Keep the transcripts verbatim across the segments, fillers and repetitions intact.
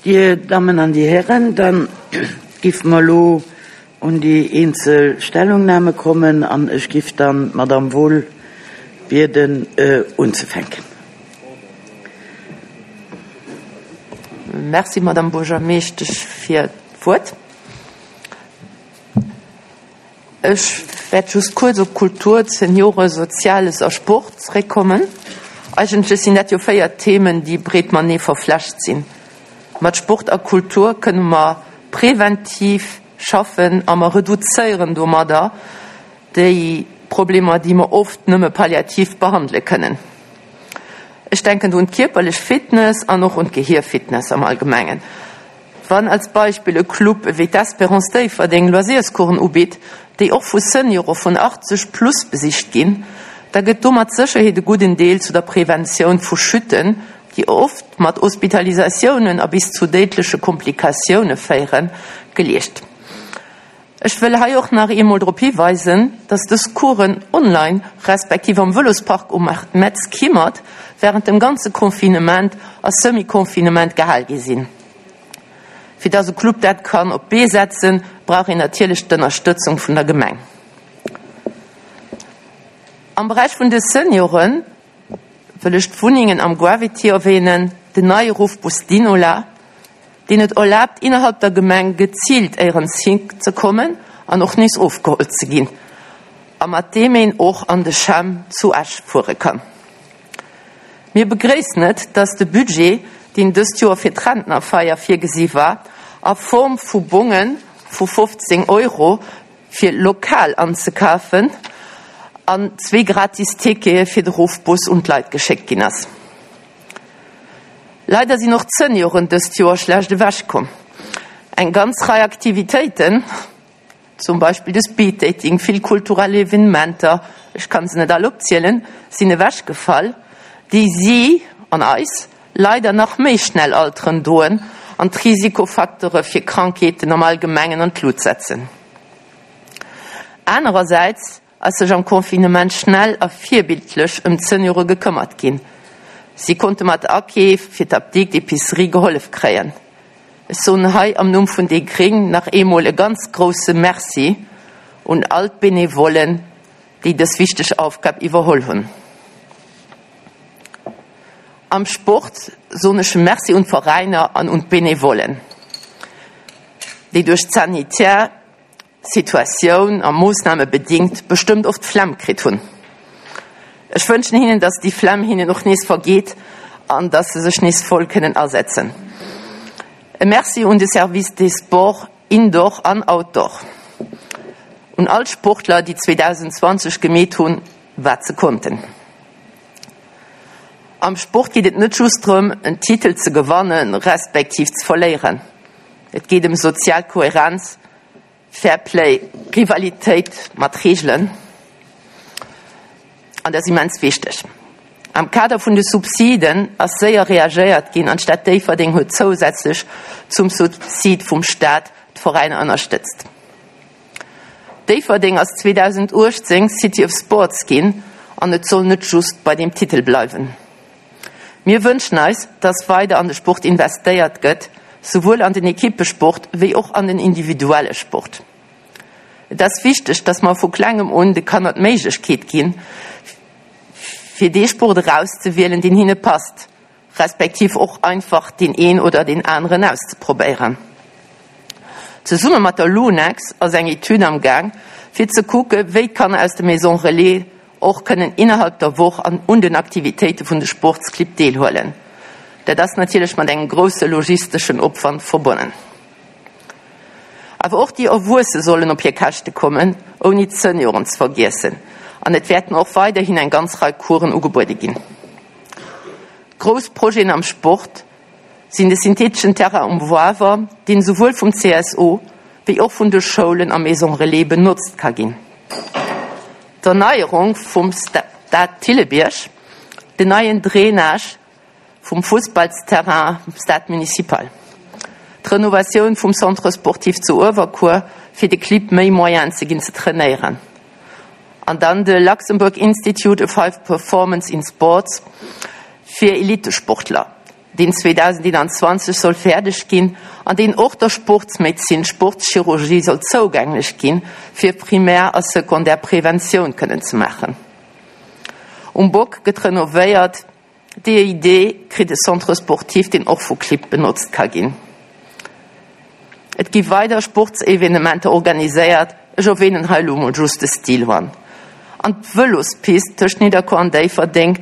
Dir Dammen an Dir Hären, da géife mer elo un déi eenzel Stellungnahme kommen an ech géif dann d'Madame Wohl bieden unzefänken. Merci, Madame Buergermeeschtesch, fir d'Wuert. Ech wäert just kuerz op Kultur, Seniore, Soziales a Sport zeréckkommen. Eigentlech sinn dat jo véier Themen, déi breet matenee verflecht sinn. Mat Sport a Kultur kënne mer preventiv schaffen a mer reduzéieren domadder déi Problemer, déi mer oft nëmme palliativ behandele kënnen. Ech denken do un d'kierperlech Fitness an och un d'Gehierfitness am Allgemengen. Wann als Beispill e Club ewéi d'Espérance Déifferdeng Loisirscoursen ubitt, déi och vu Seniore vun achtzeg plus besicht ginn, da gëtt do mat Sécherheet e gudden Deel zu der Preventioun vu Chütten, déi oft mat Hospitalisatiounen a bis zu déidleche Komplikatioune féieren, geleescht. Ech wëll hei och nach eemol drop hiweisen, dass dës Coursen online respektiv am Vëlospark um Metz Kimmert während dem ganze Confinement a Semi-Confinement gehal gi sinn. Fir dass e Club dat kann op d'Bee setzen, brauch een natierlech d'Ënnerstëtzung vun der Gemeng. Am Beräich vun de Senioren wëll ech d'Wunnengen am Gravity erwähnen, den neie Ruffbus Dinola, deen et erlaabt, innerhalb der Gemeng geziilt éierens hin ze kommen an och nees ofgeholl ze ginn, a mat deem een och an de CHEM zu Esch fuere kann. Mir begréissen et, dass de Budget, deen dëst Joer fir d'Rentnerfeier virgesi war, a Form vu Bonge vu fofzéng Euro fir lokal anzekafen an zwee gratis Tickete fir de Ruffbus un d'Leit geschéckt ginn ass. Leider sinn och d'Senioren dëst Joer schlecht ewechkomm. Eng ganz Rei Aktivitéiten, zum Beispill de Speeddating, vill kulturell Evenementer, ech kann se net all opzielen, sinn ewechgefall, déi si an eis leider nach méi schnell alteren doen an d'Risikofacteure fir Krankheeten am Allgemengen an d'Lut setzen. Anerersäits ass sech am Confinement schnell a virbildlech ëm d'Seniore gekëmmert ginn. Si konnte mat Akeef fir d'Apdikt, d'Epicerie gehollef kréien. Ech soen hei am Numm vun déi Gréng nach eemol e ganz grousse Merci un all d'Benevollen, déi dës wichteg Aufgab iwwerholl hunn. Am Sport soen ech e Merci un d'Veräiner an un d'Benevollen, déi duerch d'sanitär Situatioun a Moossname bedingt bestëmmt oft d'Flemm kritt hunn. Ech wënschen hinnen, dass déi Flemm hinnen och nees vergeet an dass se sech nees voll kënnen asetzen. E Merci un de Service des Sports indoor an outdoor, un all d'Sportler, déi zweedausendzwanzeg gemeet hunn, wat se konnten. Am Sport geet et net just drëm, en Titel ze gewannen, respektiv ze verléieren. Et geet ëm sozial Kohärenz, Fair Play, Rivalitéit mat Reegelen. An dat ass immens wichteg. Am Kader vun de Subsiden ass séier reagéiert ginn an d'Stad Déifferdeng huet zousätzlech zum Subsid vum Staat d'Veräiner ënnerstëtzt. Déifferdeng ass zweedausenduechtzéng City of Sports ginn an et soll net just bei deem Titel bleiwen. Mir wënschen eis, dass weider an de Sport investéiert gëtt, souwuel an den Ekippesport wéi och an den individuelle Sport. Et ass wichteg, dass mer vu klengem un de Kanner d'Méiglechkeet ginn, fir dee Sport erauszewielen, deen hinne passt, respektiv och einfach deen een oder deen aneren auszeprobéieren. Zesumme mat der Lunex ass eng Etüd am Gaang, fir ze kucke wéi d'Kanner aus de Maisons Relais och kënnen innerhalb der Woch an un den Aktivitéite vun de Sportsclibb deelhuelen. Dat ass natierlech mat engem grousse logisteschen Opwand verbonnen. Awer och déi Erwuesse sollen op hir Käschte kommen, ouni d'Senioren ze vergiessen. An et wäerten och weiderhin eng ganz Rei Coursen ugebuede ginn. Grouss Projeten am Sport sinn de syntheteschen Terrain um Wawer, deen esouwuel vum C S O wéi och vun de Schoulen a Maison Relais benotzt ka ginn, d'Erneierung vum Stade Thillebierg, den neien Drainage vum Fussballsterrain Stade Municipal, d'Renovatioun vum Centre sportif zu Uewerkuer, fir de Clibb méi Moyenen ze ginn ze trainéieren, an dann de Luxembourg Institute of High Performance in Sports fir Elitesportler, deen zweedausendeenanzwanzeg soll fäerdeg ginn an deen och der Sportsmedezin, Sportschirurgie soll zougänglech ginn, fir Primär a Secondaire Preventioun kënnen ze maachen. Um Bock gëtt renovéiert, d'E I D kritt e Centre sportif, deen och vu Clibb benotzt ka ginn. Et gi weider Sportsevenementer organiséiert, ech erwänen hei elo mol just de Style One. An d'Vëlospist tëscht Nidderkuer an Déifferdeng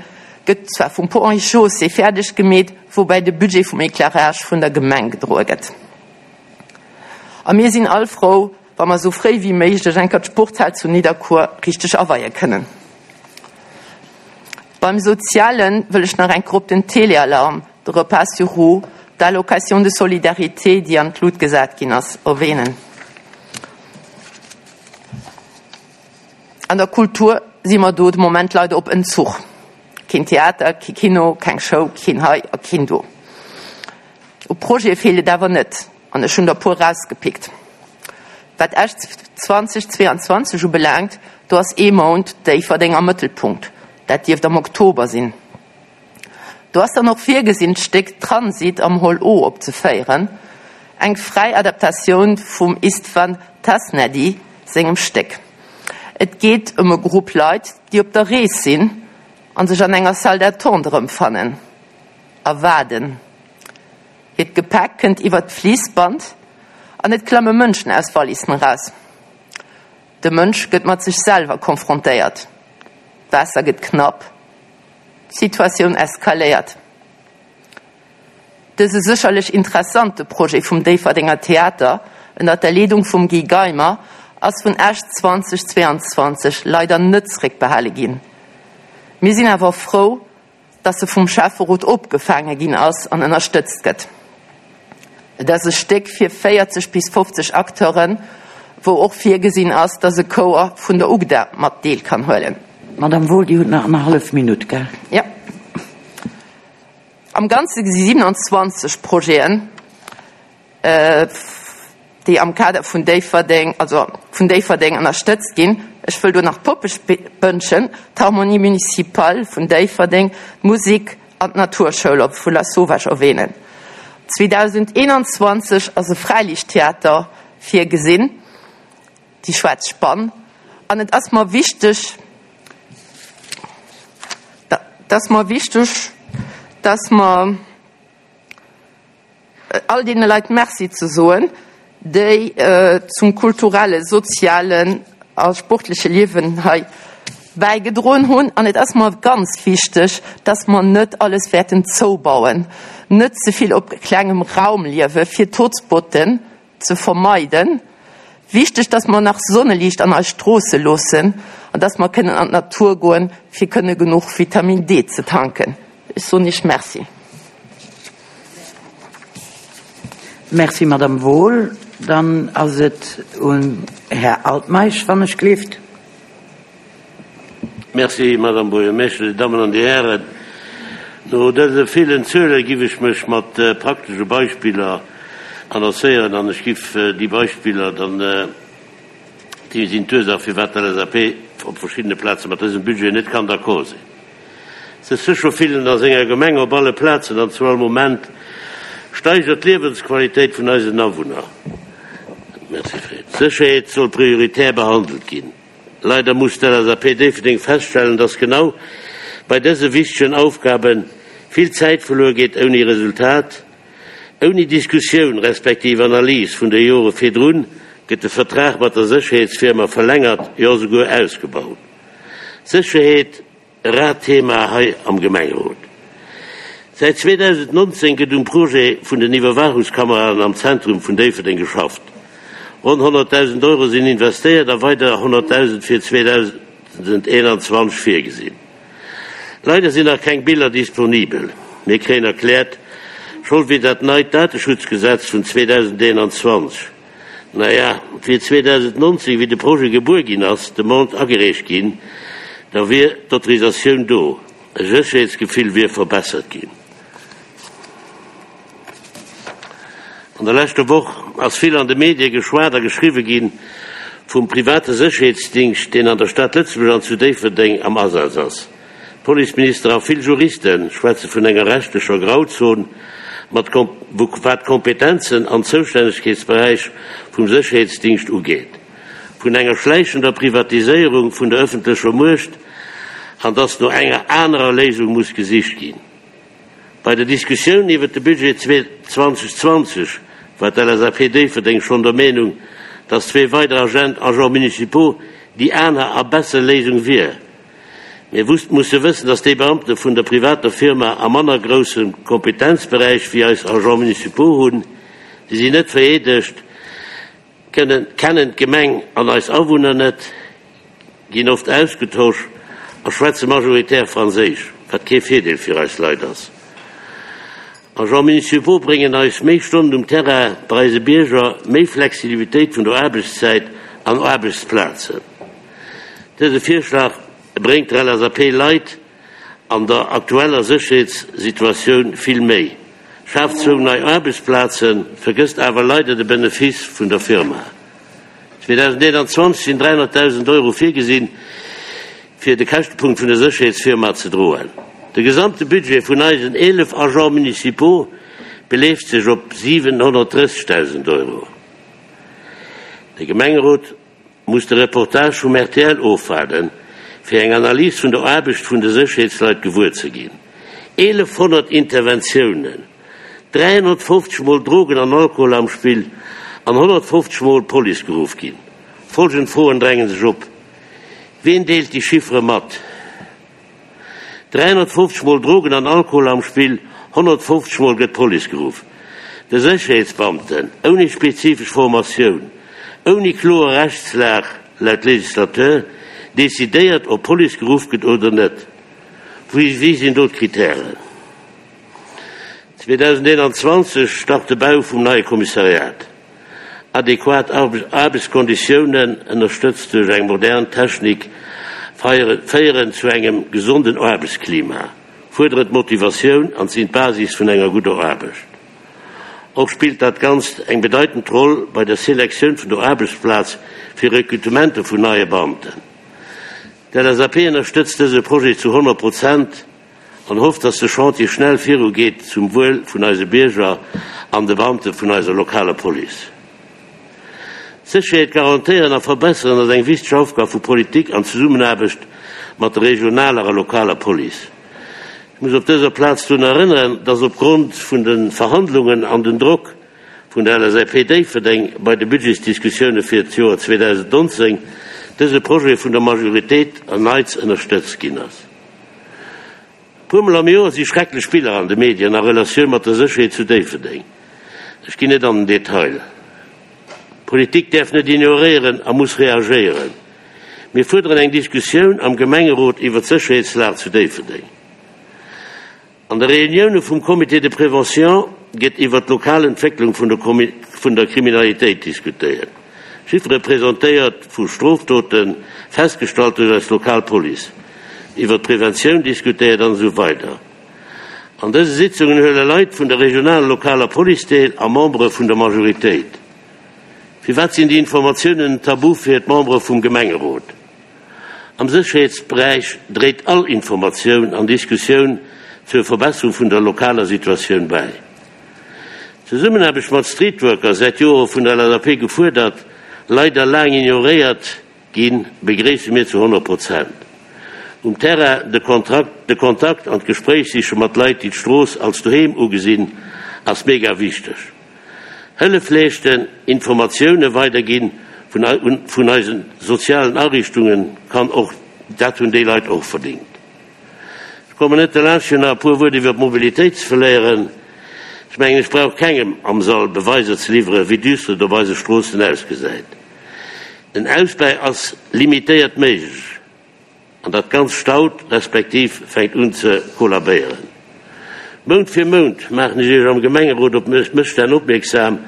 gëtt zwar vum Ponts et Chaussées fäerdeg gemeet, woubäi de Budget vum Éclairage vun der Gemeng gedroe gëtt. A mir sinn all frou, wa mer esou fréi wéi méiglech eng Kéier d'Sportshal zu Nidderkuer richteg aweie kënnen. Beim Soziale wëll ech nach eng Kéier op den Téléalarm, de Repas sur roues, d'Allocation de solidarité, déi an d'Lut gesat ginn ass, erwänen. An der Kultur si mer do de Moment leider op Entzuch. Keen Theater, kee Kino, keng Show, keen hei a keen do. U Projete feelt et awer net an ech hunn der e puer erausgepickt. Wat Esch zweedausendzweianzwanzeg ubelaangt, do ass ee Mount Déifferdeng am Mëttelpunkt. Dat dierft am Oktober sinn. Do ass dann och virgesinn, d'Stéck Transit am Hall O opzeféieren, eng fräi Adaptatioun vum Istvan Tasnadi sengem Stéck. Et geet ëm e Grupp Leit, déi op der Rees sinn a sech an enger Salle d'attente erëmfannen a waarden. Hiert Gepäck kënnt iwwert d'Fliissband an et klamme Mënschen aus Wallissen eraus. De Mënsch gëtt mat sech selwer konfrontéiert, d'Waasser gëtt knapp, d'Situatioun eskaléiert. Dëse sécherlech interessante Projet vum Déifferdenger Theater ënnert der Leedung vum Guy Geimer ass vun Esch zweedausendzweianzwanzeg leider net zeréckbehale ginn. Mir sinn awer frou, dass e vum Schäfferot opgefaange ginn ass an ënnerstëtzt gëtt. Et ass e Stéck fir véierzeg bis fofzeg Acteuren, wou och virgesinn ass, dass e Chouer vun der UGDA mat deel kann huelen. Madame Wohl, Dir hutt nach annerhallef Minutt, gell? Jo. Am Ganze si siewenundzwanzeg Projeten, déi am Kader vun Déifferdeng, also vun Déifferdeng ënnerstëtzt ginn. Ech wëll do nach d'Poppespënnchen, d'Harmonie municipale vun Déifferdeng, d'Musek an d'Naturschoul op vu Lasauvage erwänen. zweedausendeenanzwanzeg ass e Fräiliichttheater virgesinn, déi Schwaarz Spann. An et ass mer wichteg, et ass mer wichteg, dass mer all deene Leit Merci ze soen, déi zum kulturellen, sozialen a sportleche Liewen hei bäigedroen hunn. An et ass mer ganz wichteg, dass mer net alles wäerten zoubauen, net ze vill op klengem Raum liewe fir d'Hotspotten ze vermeiden. Wichteg, dass mer nach Sonneliicht an eis Stroosse loossen an dass mer kënnen an d'Natur goen, fir kënne genuch Vitamin D ze tanken. Ech soen Iech Merci. Merci, Madame Wohl. Dann ass et um Här Altmeisch, wann ech gleeft. Merci, Madame Buergermeeschtesch, Dir Dammen an Dir Hären. No dëse villen Zuele giff ech mech mat praktesche Beispiller annoncéieren an ech giff déi Beispiller dann, déi sinn d'Ursaach firwat d'L S A P op verschiddene Plaze mat dësem Budget net kann d'accord sinn. Sech sécher fillen a senger Gemeng op alle Plazen an zu all Moment steigert d'Liewensqualitéit vun eisen Awunner. Merci Fred. Sécherheet soll prioritär behandelt ginn. Leider muss d'L S A P Déifferdeng feststellen, dass genau bei dëse wichtegen Aufgabe vill Zäit verluer geet ouni Resultat. Ouni Diskussioun respektiv Analys vun de Jore virdrun gëtt de Vertrag mat der Sécherheetsfirma verlängert, jo souguer ausgebaut. Sécherheet, e raart Thema hei am Gemengerot. Säit zweedausendnonzéng gëtt um Projet vun den Iwwerwaachungskameraen am Zentrum vun Déifferdeng geschafft. Ronn honnertdausend Euro sinn investéiert a weider honnertdausend fir zweedausendeenanzwanzeg virgesinn. Leider sinn nach keng Biller disponibel. Mir kréien erkläert, Schold wier dat neit Dateschutzgesetz vun zweedausendeenanzwanzeg. Naja, wier zweedausendnonzéng, wéi de Projet gebuer ginn ass, d'Demande agereecht ginn, da wier d'Autorisatioun do. E Sécherheetsgefill wier verbessert ginn. An der leschter Woch ass vill an de Medie geschwat a geschriwwe gi vum private Sécherheetsdingscht, deen an der Stad Lëtzebuerg an zu Déifferdeng am Asaz ass. Policeminister a vill Juriste schwätze vun enger rechtlecher Grauzon, mat wat d'Kompetenzen an Zoustännegkeetsberäich vum Sécherheetsdingscht ugeet, vun enger schläichender Privatiséierung vun der ëffentlecher Muecht an dass no enger anerer Léisung muss gesicht ginn. Bei der Diskussioun iwwer de Budget zweitausendzwanzig war d'L S A P Déifferdeng schonn der Meenung, dass zwee weider Agent, Agents municipaux déi aner a besser Léisung wier. Mir musse wëssen, dass déi Beamte vun der privater Firma a manner grousse Kompetenzberäich wéi eis Agents municipaux hunn, déi sinn net vereedegt, kënnen kennen d'Gemeng an eis Awunner net, ginn oft ausgetosch a schwätze majoritär Franséisch, wat kee Virdeel fir eis Leit ass. Agents municipaux bréngen eis méi Stonnen um Terrain bei eise Bierger, méi Flexibilitéit vun der Aarbechtszäit an Aarbechtsplazen. Dëse Virschlag bréngt der L S A P Leit an der aktueller Sécherheetssituatioun vill méi. Schaaft zwou nei Aarbechtsplazen, vergësst awer leider de Benefice vun der Firma. zweitausendeenanzwanzeg sinn dräihonnertdausend Euro virgesinn, fir de Käschtepunkt vun der Sécherheetsfirma ze droen. De gesamte Budget vun eisen eelef Agents municipaux beleeft sech op siwenhonnertdrëssegdausend Euro. De Gemengerot muss de Reportage vum R T L ofwaarden, fir eng Analys vun der Aarbecht vun de Sécherheetsleit gewuer ze ginn. Eelefhonnert Interventiounen, dräihonnertfofzeg Mol Drogen an Alkohol am Spill an honnertfofzeg Mol Police geruff ginn. Folgend Froen dränge sech op. Wien deelt déi Chiffere mat? dräihonnertfofzeg Mol Drogen an Alkohol am Spill, honnertfofzeg Mol gëtt Police geruff. De Sécherheetsbeamten, ouni spezifesch Formatioun, ouni kloer Rechtslag laut Legislateur, decidéiert, ob Police geruff gëtt oder net. Wéi wéi sinn do d'Kritären? zweitausendeenanzwanzeg start de Bau vum neie Kommissariat. Adequat Aarbechtskonditiounen, ënnerstëtzt duerch eng modern Technik, féieren zu engem gesonden Aarbechtsklima, fuerderen d'Motivatioun an sinn d'Basis vun enger gudder Aarbecht. Och spillt dat Ganzt eng bedeitend Roll bei der Selektioun vun der Aarbechtsplaz fir Rekrutementer vun neie Beamten. D'L S A P ënnerstëtzt dëse Projet zu honnert Prozent an hofft, dass de Chantier schnell virugeet zum Wuel vun eise Bierger an de Beamte vun eiser lokaler Police. Sécherheet garantéieren a verbesseren ass eng wichteg Aufgab vu Politik an Zesummenaarbecht mat der regionaler a lokaler Police. Ech muss op dëser Plaz drun erënneren, dass opgrond vun de Verhandlungen an den Drock vun der L S A P Déifferdeng bei de Budgetsdiskussioune fir d'Joer zweitausendnonzéng dëse Projet vun der Majoritéit erneits ënnerstëtzt ginn ass. Puermol am Joer si schrecklech Biller an de Medien a Relatioun mat der Sécherheet zu Déifferdeng. Ech ginn net an den Detail. Politik däerf net ignoréieren a muss reagéieren. Mir fuerderen eng Diskussioun am Gemengerot iwwer d'Sécherheetslag zu Déifferdeng. An de Reunioune vum Comité de prévention gëtt iwwer d'lokal Entwécklung vun der, vun der Kriminalitéit diskutéiert. Chiffere presentéiert vu Strofdoten, festgestallt duerch eis lokal Police. Iwwer d'Preventioun diskutéiert an esou weider. An dëse Sitzungen huele Leit vun der regionaler lokaler Police deel a Membere vun der Majoritéit. Firwat sinn déi Informatiounen tabu fir d'Membere vum Gemengerot? Am Sécherheetsberäich dréit all Informatioun an Diskussioun zur Verbesserung vun der lokaler Situatioun bäi. Zesummenaarbecht mat Streetworker säit Jore vun der L S A P gefuerdert, leider laang ignoréiert ginn, begréisse mir zu honnert Prozent. Um Terrain de Kontrakt, de Kontakt an d'Gespréich siche mat Leit, déi d'Strooss als Doheem ugesinn, ass mega wichteg. Hëllef leeschten, Informatioune weiderginn vun, vun eisen sozialen Ariichtungen kann och dat hunn déi Leit och verdéngt. Ech kommen net derlaanscht nach e puer Wuert iwwer d'Mobilitéit ze verléieren. Ech mengen, ech brauch kengem am Sall Beweiser ze liwweren, wéi düster et op eise Stroossen ausgesäit. Den Ausbau ass limitéiert méiglech an dat Ganzt staut respektiv fänkt un ze kollabéieren. Mount fir Mount maachen ech Iech am Gemengerot op Mësstänn opmierksam,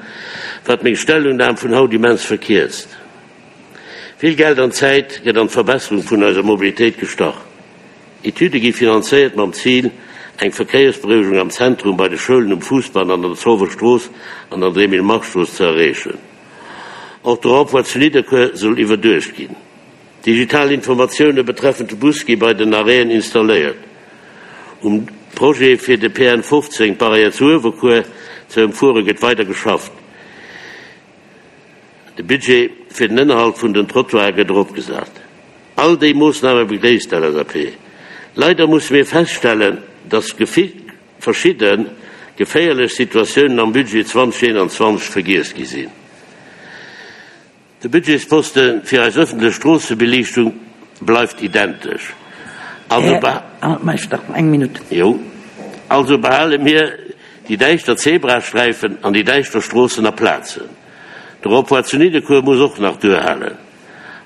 wat meng Stellungnam vun haut immens verkierzt. Vill Geld an Zäit gëtt an d'Verbesserung vun eiser Mobilitéit gestach. Etüde gi finanzéiert mam Zil, eng Verkéiersberouegung am Zentrum bei de Schoulen um Fousbann an der Zolwer Strooss an der André-Emile-Marx-Strooss ze erreechen. Och de Rond-point zu Nidderkuer soll iwwerduecht ginn. Digital Informatioune betreffend de Bus gi bei den Arrêten installéiert. Um Projet fir de P N fofzéng, d'Barrière zu Uewerkuer, ze ëmfuere gëtt weider geschafft. De Budget fir den Ënnerhalt vun den Trottoire gëtt eropgesat. All déi Moossname begréisst d'L S A P. Leider musse mir feststellen, dass gefi-, verschidde geféierlech Situatiounen am Budget zweitausendeenundzwanzeg vergiess gi sinn. De Budgetsposten fir eis öffentlech Stroossebeliichtung bleift identesch. Also Herr be- Altmeister, eng Minute. Jo. Also behale mir die däischter Zebrastreifen an die däischter Stroossen a Plazen. De Rond-point zu Nidderkuer muss och nach duerhalen.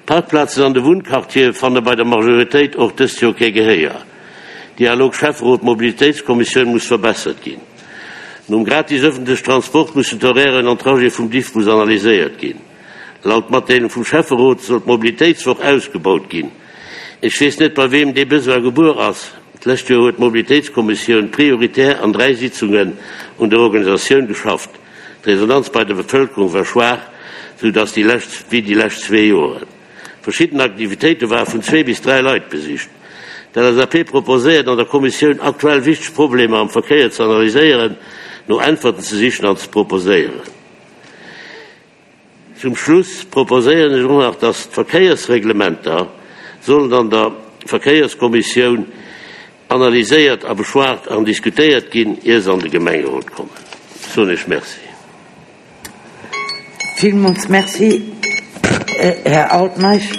Parkplazen an de Wunnquartier fanne bei der Majoritéit och dëst Joer kee Gehéier. Dialog Schäfferot Mobilitéitskommissioun muss verbessert ginn. Nom gratis öffentlichen Transport müssen d'Horairen an Trajet vum Diffbus analyséiert ginn. Laut Matdeelung vum Schäfferot soll d'Mobilitéitswoch ausgebaut ginn. Ech weess net, bei wem dee Besoin gebuer ass. D'lescht Joer huet d'Mobilitéitskommissioun prioritär an dräi Sitzungen un der Organisatioun geschafft. D'Resonanz bei der Bevëlkerung war schwaach, so dass die lescht, wie die lescht zwei Jahre. Verschiedene Aktivitäten waren von zwei bis drei Leuten besicht. Die L S A P proposéiert an der Kommissioun aktuell wichtige Probleme am Verkehr zu analysieren, no Antworten zu sichern und zu proposéieren. Zum Schluss proposéieren ich noch, dass Verkehrsreglementer sollen an der Verkehrskommission analysiert, beschwart und diskutiert gehen, ehe sie an den Gemeinderat kommen. So nicht, merci. Vielmals merci, äh, Herr Altmaisch.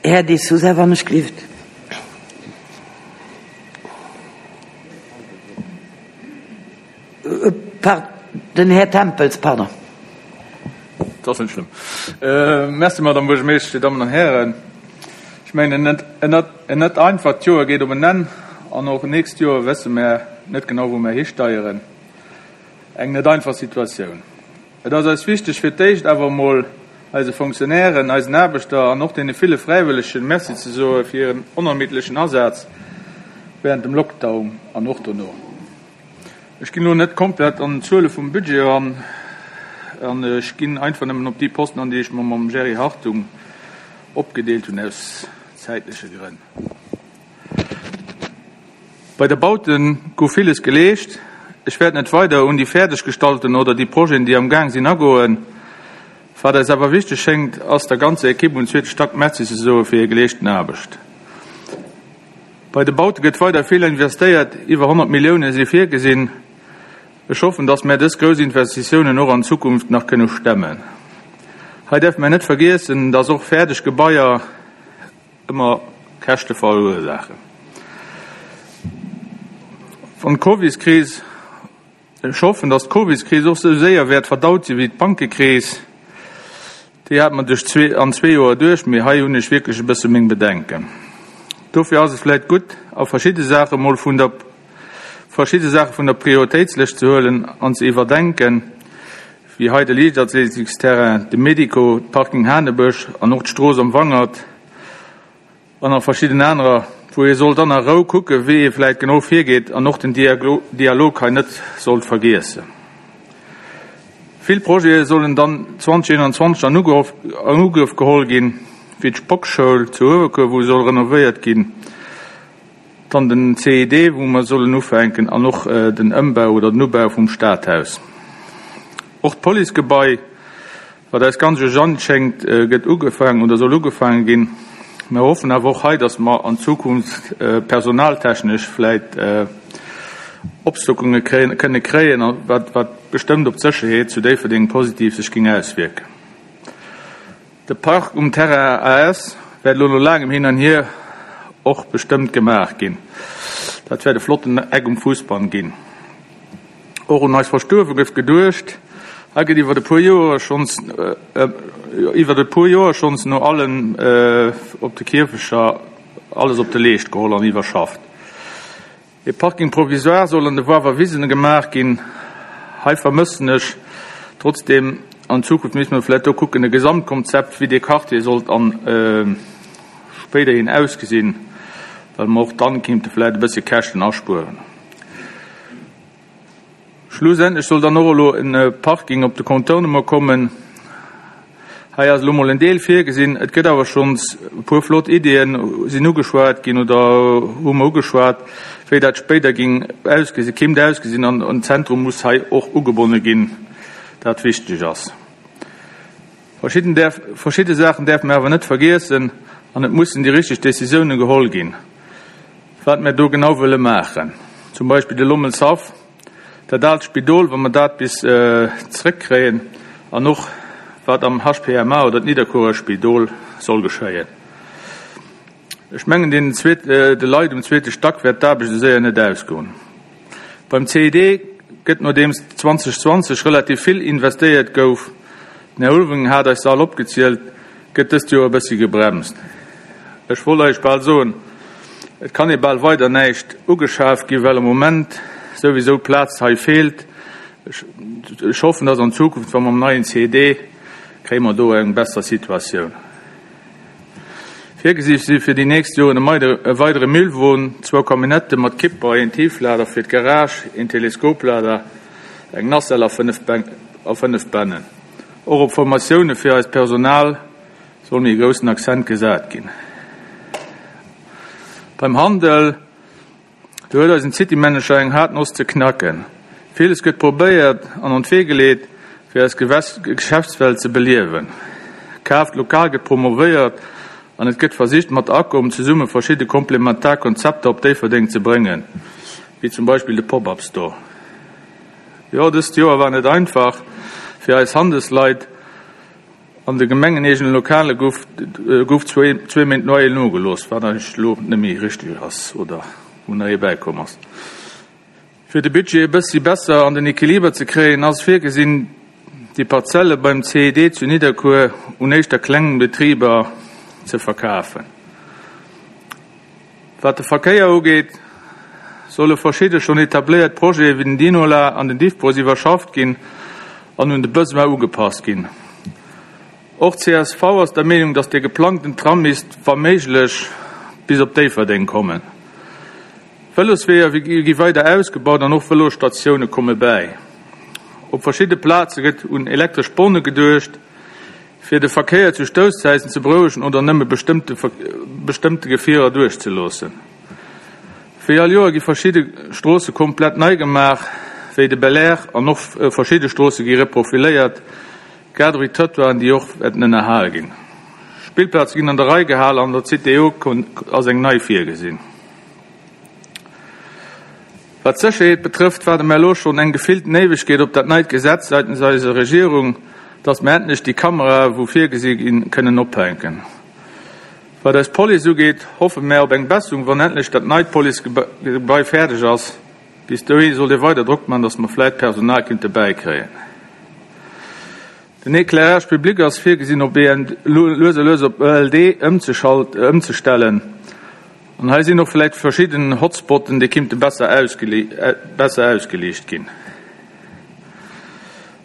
Herr de Sousa, wann ich glift. Den Herr Tempels, pardon. Das ist nicht schlimm. Äh, merci, Madame Buergermeeschterin, Damen und Herren. Ich meine, net, net, net einfach Jahr geht um ein Ende, und auch nächstes Jahr wissen wir nicht genau, wo wir hinsteuern. Eng net einfach Situation. Et ass eis wichtig fir d'éischt awer mol eise Funktionären, eisen Aarbechter an och deene ville Fräiwëllegen Merci ze soe fir ihren onermiddlechen Asaz während dem Lockdown an och dono. Ech ginn lo net komplett an d'Zuele vum Budget an, an ech ginn einfach nëmmen op déi Posten an, déi ech mer mam Jerry Hartung opgedeelt hunn aus zeitleche Grënn. Bei der Bauten gouf vieles geleescht. Ich werde nicht weiter un die fertiggestalten oder die Projekte, die am Gang sind, agoen. Was es aber wichtig schenkt, ass der ganze Equipe und zweite Stack Merci zu soe fir hir geleeschten Aarbecht. Bei de Baute gëtt weiter viel investiert, iwwer hundert Millioune si virgesinn. Ich hoffe, dass wir dës große Investitionen noch an Zukunft nach können stemmen. Hei darf man nicht vergessen, dass auch fertig Gebäude immer Käste verursachen. Von Covid-Krise, ich hoffe, dass die Covid-Krise auch so sehr wird verdaut sie wie die Bankenkrise. Die hat man durch zwei, an zwei Jahren durch, mir hei hun ich wirklich ein bisschen meng Bedenken. Dafür ist es vielleicht gut, auf verschiedene Sachen mal von der, verschiedene Sachen von der Prioritätsliste zu holen und zu überdenken, wie heute Leichtathletiksterrain, de Medico, Parking Hanebüsch und auch die Straße am Wangert und auch verschiedene andere, wo ihr sollt dann auch gucken, wie ihr vielleicht genau vorgeht und noch den Dialog, Dialog nicht sollt vergessen. Viele Projekte sollen dann zweitausendeinundzwanzig an Angriff, an Angriff geholt gehen, wie die Spockschule zu Uewerkuer, wo soll renoviert gehen. Dann den C I D, wo wir sollen aufhängen, und noch, äh, den Umbau oder den Umbau vom Stadthaus. Auch das Policegebäude, was das ganze Jan schenkt, äh, wird angefangen oder soll angefangen gehen. Wir hoffen aber auch heute, dass wir an Zukunft, äh, personaltechnisch vielleicht, äh, Obstacles kre-, können kreieren, was, was bestimmt auf die Sicherheit zu Déifferdeng positiv sich ging auswirken. Der Park um Terra A S wird noch lange im Hin und Her auch bestimmt gemacht gehen. Das wird flotten Eck um Fußball gehen. Auch un eis Verstuerwe gouf geduecht. Hei gëtt iwwer de puer Joer schonns, äh, iwwer de puer Joer schonns no allen, äh, op de Kierfecher alles op de Leescht geholl an iwwerschafft. E Parking provisoire soll an de Wawer Wiesen gemacht ginn. Hei vermëssen ech trotzdem an Zukunft müssen wir vielleicht auch gucken, ein Gesamtkonzept, wie die Quartier sollt an, äh, späterhin ausgesehen. well mer och dann kéinte vläicht e bësse Käschten aspueren. Schlussendlech soll dann och elo e Parking op de Contournement kommen. Hei ass elo mol en Deel virgesinn. Et gëtt awer schonns e puer flott Iddien sinn ugeschwat ginn oder hu mer ugeschwat, wéi dat spéider ging ausgesinn, kéint ausgesinn an en Zentrum muss hei och ugebonne ginn, dat wichteg ass. Verschidden däerf, verschidde Saachen däerfe mer awer net vergiessen an et mussen déi richteg Décisiounen geholl ginn, wat mer do genau wëlle maachen. Zum Beispill de Lommelshaff, dat aalt Spidol, wa mer dat bis zréckkréien an och wat am H P M A oder d'Nidderkuerer Spidol soll geschéien. Ech mengen, den zweet, de Leit um zweete Stack wäert d'Aarbecht esou séier net ausgoen. Beim C I D gëtt, nodeems zwanzeg zwanzeg relativ vill investéiert gouf, den Här Ulveling hat eis se all opgezielt, gëtt dëst Joer e bëssi gebremst. Ech wollt eis bal soen, et kann ee bal weider näischt ugeschaf ginn, well am Moment souwisou Plaz hei feelt. Ech, ech hoffen, dass an Zukunft, wa mer am neien C I D, kréie mer do eng besser Situatioun. Virgesi si fir déi nächst Joren e weidere Müllwon, zwou Camionnette mat Kipper, een Tieflader fir d'Garage, een Teleskoplader, eng Nacelle a fënnef Bän-, a fënnef Bännen. Och op Formatioune fir eist Personal soll méi e groussen Accent gesat ginn. Beim Handel, do huet eisen City-Manager eng haart Noss ze knacken. Villes gëtt probéiert an an d'Wee geleet, fir eis Gewäss-, Geschäftswelt ze beliewen. Kaaft lokal gëtt promovéiert an et gëtt versicht, mat Acom zesumme verschidde komplementar Konzepter op Déifferdeng ze bréngen, wéi zum Beispill de Pop-up-Store. Jo, dëst Joer war net einfach fir eis Handelsleit. An de gemengeneegene Lokale gouf, gouf zwee, zwee Méint Loyer nogelooss, wat eigentlech elo net méi richteg ass oder wou nach ee bäikomm ass. Fir de Budget e bëssi besser an den Equiliber ze kréien, ass virgesinn, déi Parzelle beim C I D zu Nidderkuer un éischter klengen Betriber ze verkafen. Wat de Verkéier ugeet, solle verschidde schonn etabléiert Projete wéi den Dinola an den Diffbus iwwerschafft ginn an un de Besoin ugepasst ginn. Och C S V ass der Meenung, dass de geplangten Tram misst, wa méiglech, bis op Déifferdeng kommen. Vëlosweeër gi weider ausgebaut an och Vëlosstatioune komme bäi. Op verschidde Plaze gëtt un elektresch Borne geduecht, fir de Verkéier zu Stousszäiten ze berouegen oder nëmme bestëmmte Ver-, bestëmmte Gefierer duerchzeloossen. Wéi all Joer gi verschidde Stroosse komplett nei gemaach, wéi de Bel Air, an och verschidde Stroosse gi reprofiléiert, grad ewéi Trottoiren, déi och wäerten ënnerhale ginn. Spillplaze ginn an der Rei gehalen an der C T O ass eng nei virgesinn. Wat d'Sécherheet betrëfft, waarde mer elo schonn eng gefillten Éiwegkeet op dat neit Gesetz seitens eiser Regierung, dass mer endlech déi Kamera, wou virgesi ginn, kënnen ophänken. Wat eis Police ugeet, hoffe mer op eng Besserung, wann endlech dat neit Policegebai fäerdeg ass. Bis dohi soll Dir weider Drock machen, dass mer vläicht Personal kinnte bäikréien. Den Éclairage public ass virgesinn, op E N D, lues a lues op E L D ëmzeschalt-, ëmzestellen. An hei sinn och vläicht verschidden Hotspotten, déi kinnte besser ausgele-, äh, besser ausgeliicht ginn.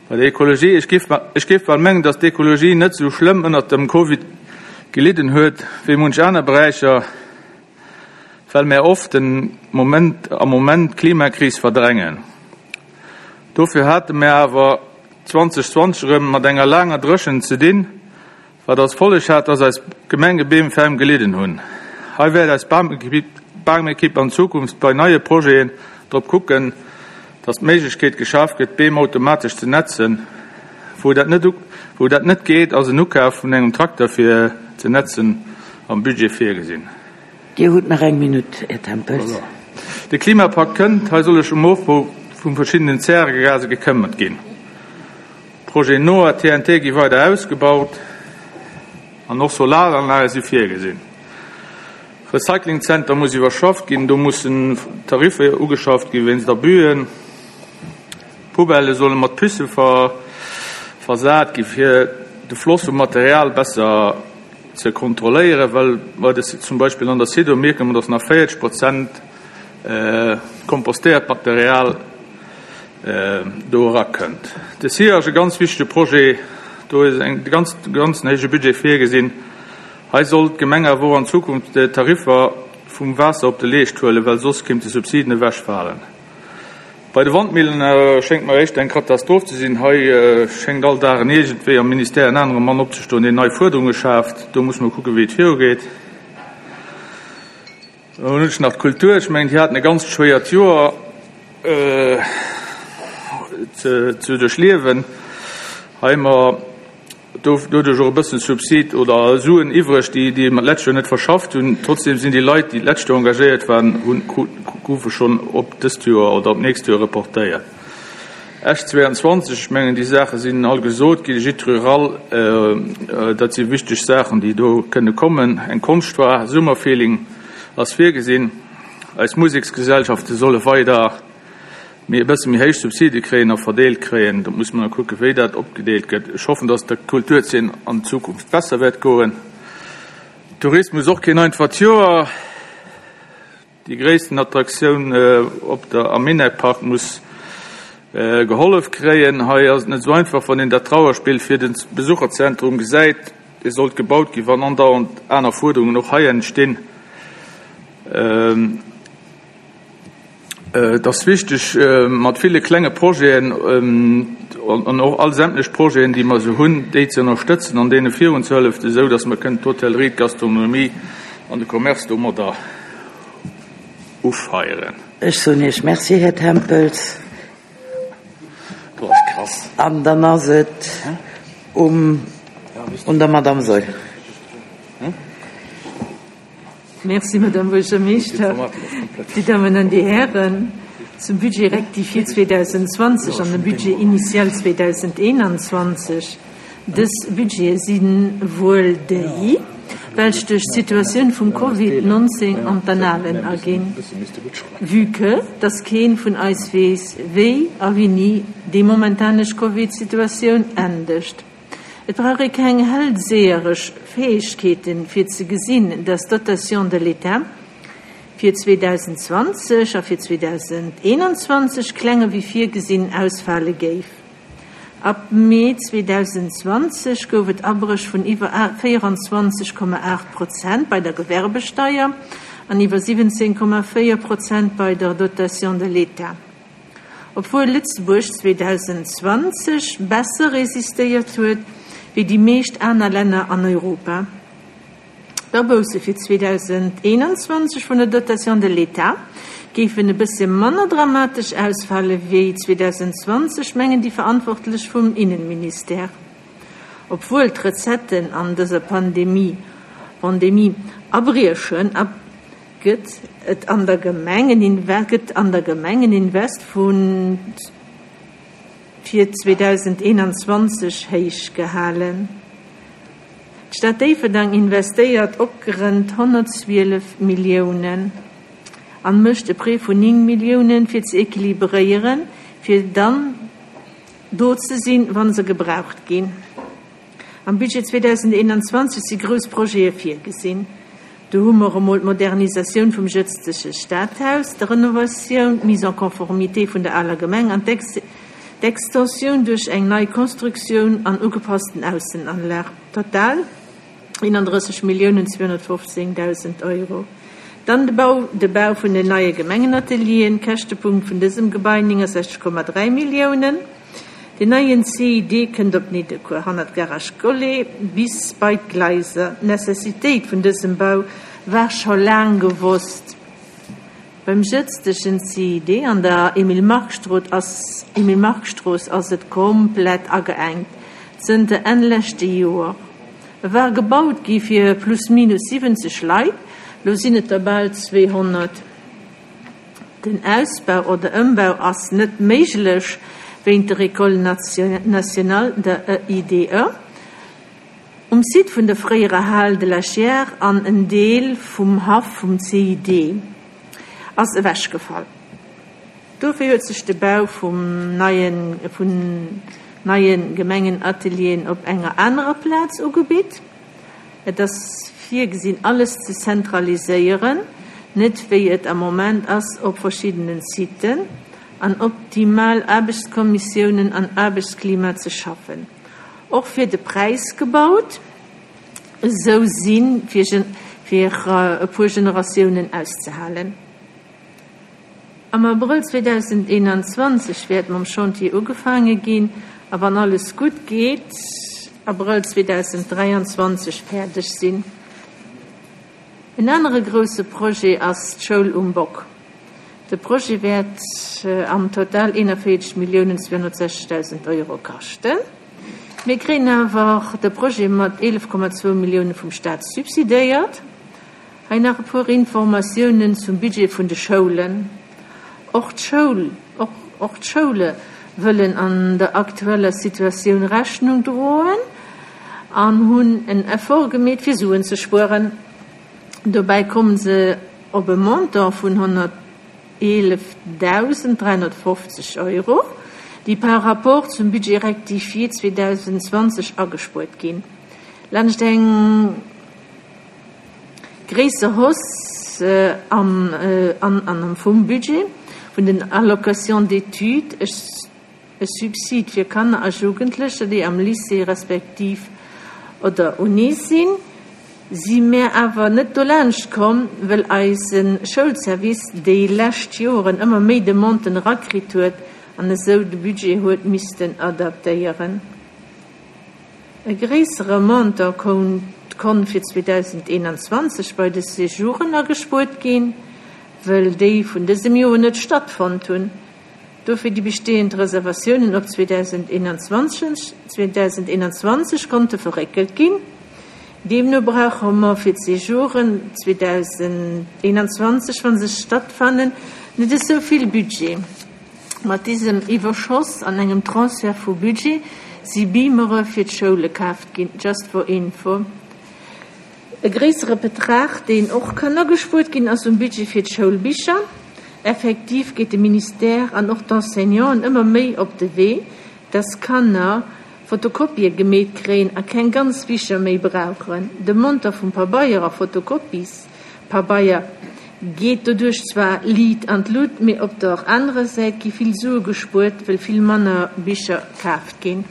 Bei der Ökologie, ech géif ma-, ech géif bal mengen, dass d'Ökologie net so schlëmm ënnert dem Covid gelidden huet, wéi munch aner Beräicher, well mer oft den Moment, am Moment d'Klimakris verdrängen. Dofir hate mer awer zwanzeg zwanzeg erëm mat enger laanger Dréchent ze dinn, wat als Folleg hat, dass eis Gemengebeem ferm gelidden hunn. Hei wäert eis Bamekipp, Bamekipp an Zukunft bei neie Projeten drop kucken, dass d'Méiglechkeet geschaf gëtt, Beem automatesch ze netzen. Wou dat net u-, wou dat net geet, ass en Ukaf vun engem Trakter fir ze netzen am Budget virgesinn. Dir hutt nach eng Minutt, Här Tempels. Voilà. De Klimapakt kënnt, hei soll ech um Ofbau vun verschiddenen Zäregase gekëmmert ginn. Projet N O A T N T gi weider ausgebaut an och Solaranlage si virgesinn. Recyclingcenter muss iwwerschafft ginn, do mussen Tarife ugeschafft ginn wéinst Abüen. Poubelle solle mat Puce ver-, versat gi fir de Floss vum Material besser ze kontrolléieren, well bei der S-, zum Beispill an der Sido mierken wir, dass nach vierzig Prozent, äh, kompostéiert Material, äh, do erakënnt. De S I A ass e ganz wichtege Projet, do ist en ganz, ganz héije Budget virgesinn. Hei soll d'Gemeng awer och an Zukunft de Tarifer vum Waasser op de Leescht huelen, well soss kéint de Subsiden ewechfalen. Bei de Wandmillen schéngt mer éischter eng Katastroph ze sinn. Hei schéngt all Dag en iergendwéi am Ministère en anere Mann opzestoen, deen nei Fuerderunge schaaft. Do muss mer kucken, wéi et virugeet. Dann hunn ech nach d'Kultur. Ech mengen, déi haten e ganzt schwéiert Joer ze duerchliewen. Hei hu mer doduerch och e bëssen Subsid oder Suen iwwreg, déi déi mer d'lescht Joer net verschafft hunn. Trotzdem sinn déi Leit, déi d'lescht Joer engagéiert waren, hunn, goufe schonn op dëst Joer oder op d'nächst Joer reportéiert. Esch zweiundzwanzeg, ech mengen, déi Saache sinn all gesot ginn, Gîte rural, dat si wichteg Saachen, déi do kënne kommen. Eng Konschtfoire, Summerfeeling ass virgesinn. Eis Museksgesellschafte solle weider méi e bësse méi héich Subside kréien a verdeelt kréien. Do muss man da kucke wéi dat opgedeelt gëtt. Ech hoffen, datt der Kulturzeen an Zukunft besser wäert goen. Tourismus och keen einfacht Joer. Déi gréissten Attraktioun op der am Minack-Park muss gehollef kréien. Hei ass et net esou einfach, wann een dat Trauerspill fir de Besucherzentrum gesäit. Dee sollt gebaut ginn, wann andauernd aner Fuerderungen och hei entstinn. Et ass wichteg, mat ville klenge Projeten an och all sämtlech Projeten, déi mer esou hunn, déi ze ënnerstëtzen an deene virunzehëlleften, esou datt mer kënnen d'Hotellerie, d'Gastronomie an de Commerce domadder ufeieren. Ech soen Iech Merci, Här Tempels. Do ass krass. An dann ass et um un der Madame Saeul. Merci, Madame Buergermeeschter. Dir Dammen an Dir Hären, zum Budget rectifié zweedausendzwanzeg an dem Budget initial zweedausendeenanzwanzeg. Dës Budgete si wuel déi, welch duerch d'Situatioun vum Covid nonzéng an d'Annalen aginn, vue que dass keen vun eis weess, wéi a wéini déi momentanesch Covid-Situatioun endegt. Et brauch ee keng hellseheresch Fäegkeeten, fir ze gesinn, dass d'Dotation de l'État fir zweedausendzwanzeg a fir zweedausendeenanzwanzeg klenger wéi virgesinn ausfale géif. Ab Mee zweedausendzwanzeg gouf et Abréch vun iwwer véieranzwanzeg Komma aacht Prozent bei der Gewerbesteier an iwwer siwwenzéng Komma véier Prozent bei der Dotation de l'État. Obwuel Lëtzebuerg zweedausendzwanzeg besser resistéiert huet wéi déi meescht aner Länner an Europa. D'Abousse fir zweedausendeenanzwanzeg vun der Dotation de l'État géifen e bësse manner dramatesch ausfale wéi zweedausendzwanzeg, mengen déi Verantwortlech vum Innenministère. Obwuel d'Recetten an dëser Pandemie Pandemie abriechen, gëtt et an der Gemeng en gëtt an der Gemeng en Invest vun fir zweedausendeenanzwanzeg héich gehalen. D'Stad Déifferdeng investéiert opgerënnt honnertzwielef Milliounen an mécht e Prêt vun ning Milliounen fir ze equilibréieren, fir dann do ze sinn, wann se gebraucht ginn. Am Budget zweedausendeenanzwanzeg si grouss Projete virgesinn. Do hu mer emol d'Modernisatioun vum jëtzege Stadhaus, d'Renovatioun, d'Mise en conformité vun der aler Gemeng an d'Extensioun duerch eng nei Constructioun an ugepassten Aussenanlag. Total eenandrësseg Milliounen zweehonnertfofzéngdausend Euro. Dann de Bau, de Bau vun den neie Gemengenatelieren, Käschtepunkt vun dësem Gebai néngensechzeg Komma dräi Milliounen. Den neien C I D kënnt op Nidderkuer, hannert Garage Collet bis bei d'Gleiser. D'Necessitéit vun dësem Bau war scho laang gewosst. Beim jëtzegen C I D an der Emile-Mark-Strooss ass, Emile-Mark-Strooss ass et komplett ageengt zënter Enn leschte Joer. E war gebaut gi fir plus minus siwwenzeg Leit, lo sinn et der bal zweehonnert. Den Ausbau oder Ëmbau ass net méiglech wéint der École nationale, der E I D E. Um Site vun der fréierer Hal de la Chière an en Deel vum Haff vum C I D ass ewechgefall. Dofir huet sech de Bau vum neien, vun neien Gemengenatelieren op enger anerer Plaz ugebitt. Et ass virgesinn, alles ze zentraliséieren, net wéi et am Moment ass op verschiddenen Siten, an optimal Aarbechtskommissiounen an Aarbechtsklima ze schaffen. Och fir de Präis gebaut, esou sinn fir fir e puer Generatiounen auszehalen. Am Abrëll zweedausendeenanzwanzeg wäert mam Chantier ugefaange ginn a wann alles gutt geet, Abrëll zweedausenddräianzwanzeg fäerdeg sinn. En anere grousse Projet ass d'Schoul um Bock. De Projet wäert am Total eenanvéierzeg Milliounen zweehonnertsechzegdausend Euro kaschten. Mir kréien awer de Projet mat eelef Komma zwou Millioune vum Staat subsidéiert. Hei nach e puer Informatiounen zum Budget vun de Schoulen. Och d'Schoul, och, och d'Schoule wëllen an der aktueller Situatioun Rechnung droen an hunn en Effort gemeet fir Suen ze spueren. Dobäi komme se op e Montant vun honnerteelefdausend dräihonnertfofzeg Euro, déi par rapport zum Budget rectifié zweedausendzwanzeg agespuert ginn. Laanscht eng gréisser Hausse am an an vum Budget vun den Allocations d'études, e Subsid fir Kanner a Jugendlecher, déi am Lycée respektiv oder Uni sinn, si mär awer net dolaanscht komm, wëll eise Schoulservice déi lescht Joren ëmmer méi Demanden erakritt huet an esou de Budget huet missten adaptéieren. E gréissere Montant konnt fir zweedausendeenanzwanzeg bei de Séjouren agespuert ginn, wëll déi vun dësem Joer net stattfonnt hunn. Dofir déi bestehend Reservatiounen op zweedausendeenanzwanzeg konnte verréckelt ginn. Deemno brauche mer fir d'Séjouren zweedausendeenanzwanzeg, wa se stattfannen, net esou vill Budget. Mat diesem Iwwerschoss an engem Transfert vu Budget si Beamere fir d'Schoule kaaft ginn, just for info. E gréissere Betrag, deen och kann agespuert ginn, ass um Budget fir d'Schoulbicher. Effektiv geet de Ministère an och d'Enseignanten ëmmer méi op de Wee, dass Kanner Fotokopië gemeet kréien a keng ganz Bicher méi brauchen. De Montant vum Pabeier a Fotokopiespabeier geet doduerch zwar liit an d'Lut, mee op der anerer Säit gi vill Sue gespuert, well vill manner Bicher kaaft ginn.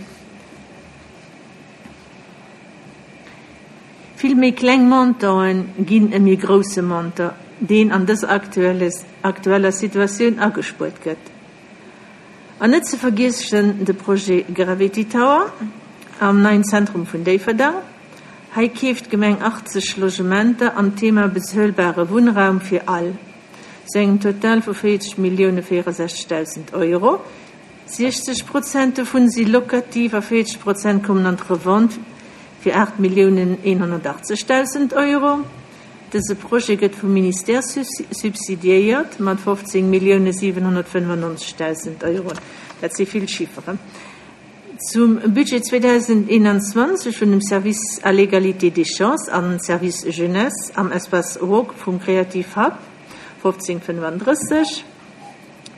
Vill méi kleng Montanten ginn e méi grousse Montant, deen an dëser aktueller Situatioun agespuert gëtt. An net ze vergiessen de Projet Gravity Tower am neien Zentrum vun Déifferdeng. Hei keeft d'Gemeng achtzeg Logementer am Thema bezuelbare Wunnraum fir all, zu engem Total vu véierzeg Millioune véierundsechzegdausend Euro. Siechzeg Prozent dovun si lokativ a véierzeg Prozent kommen an d'Revente fir aacht Milliounen eenhonnertachtzegdausend Euro. Dëse Projet gëtt vum Ministère subsidiéiert mat fofzéng Millioune siwenhonnertfënnefannonzegdausend Euro. Dat si vill Chifferen. Zum Budget zweedausendeenanzwanzeg vun dem Service à l'égalité des chances an Service Jeunesse am Espace Walk vum Creative Hub fofzéng fënnefandrësseg.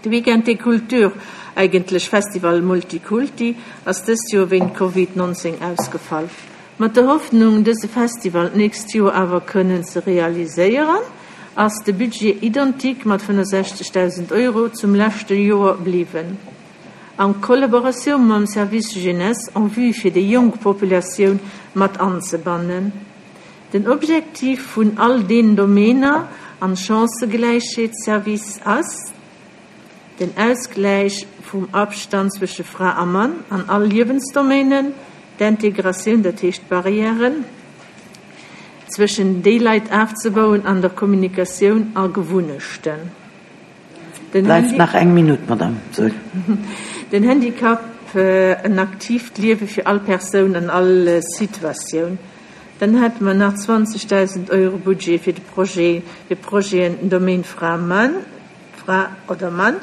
De Weekend des Cultures, eigentlech Festival Multikulti, ass dëst Joer wéint Covid nonzéng ausgefall. Mat der Hoffnung, dëse Festival d'nächst Joer awer kënnen ze realiséieren, ass de Budget identique mat fënnefundsechzegdausend Euro zum leschte Joer bliwwen. An Kollaboratioun mam Service Jeunesse en vue fir déi jonk Populatioun mat anzebannen. Den Objektiv vun all den Domäner an Chancëgläichheetsservice ass den Ausgläich vum Abstand zwësche Fra a Mann an all Liewensdomänen, d'Integratioun, dat heescht Barrièren zwëschen déi Leit afzebauen an der Kommunikatioun a Gewunnechten. Den Bleift nach eng Minutt, Madame Saeul. Den Handicap, en aktiivt Liewe fir all Persoun an all Situatioun. Dann hätte mer nach zwanzegdausend Euro Budget fir de Projet, fir Projeten Domaine Fra Mann, Fra oder Mann,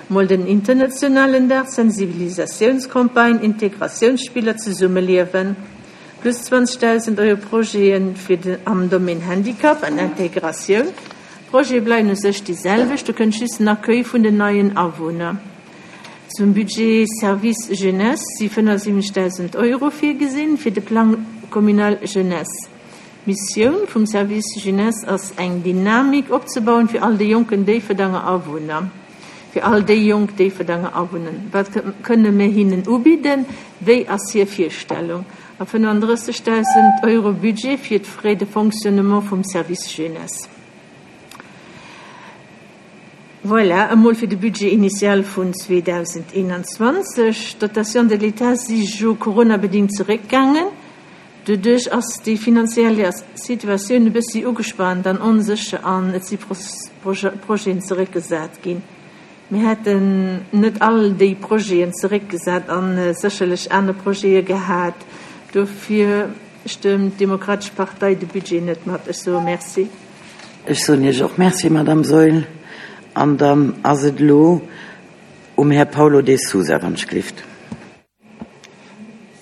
mol den internationalen Dag, Sensibilisatiounscampagne, Integratiounsspiller, Zesummeliewen, plus zwanzegdausend Euro Projeten fir de, am Domaine Handicap an Integratioun. Projete bleiwen u sech déi selwecht, do kënnt just den Accueil vun den neien Awunner. Zum Budget Service Jeunesse si fënnefundsiwwenzegdausend Euro virgesinn fir de Plan communal Jeunesse. Missioun vum Service Jeunesse ass eng Dynamik opzebauen fir all déi jonken Déifferdenger Awunner. Fir all déi jonk Déifferdenger Awunner. Wat kënne mir hinnen ubidden? Wéi ass hir Virstellung? A fënnefandrëssegdausend Euro Budget fir d'Frais de fonctionnement vum Service Jeunesse. Voilà, emol fir de Budget initial vun zweedausendeenanzwanzeg. D'Dotation de l'État si jo coronabedingt zeréckgaangen. Doduerch ass déi finanziell Situatioun e bëssi ugespaant an onsécher an et si Projeten zeréckgesat ginn. Mir hätten net all déi Projeten zeréckgesat a sécherlech aner Projete gehat. Dofir stëmmt d'Demokratesch Partei de Budget net mat. Ech soe Merci. Ech soen Iech och Merci, Madame Saeul. An dann ass et elo um Här Paulo de Sousa, wann ech gelift.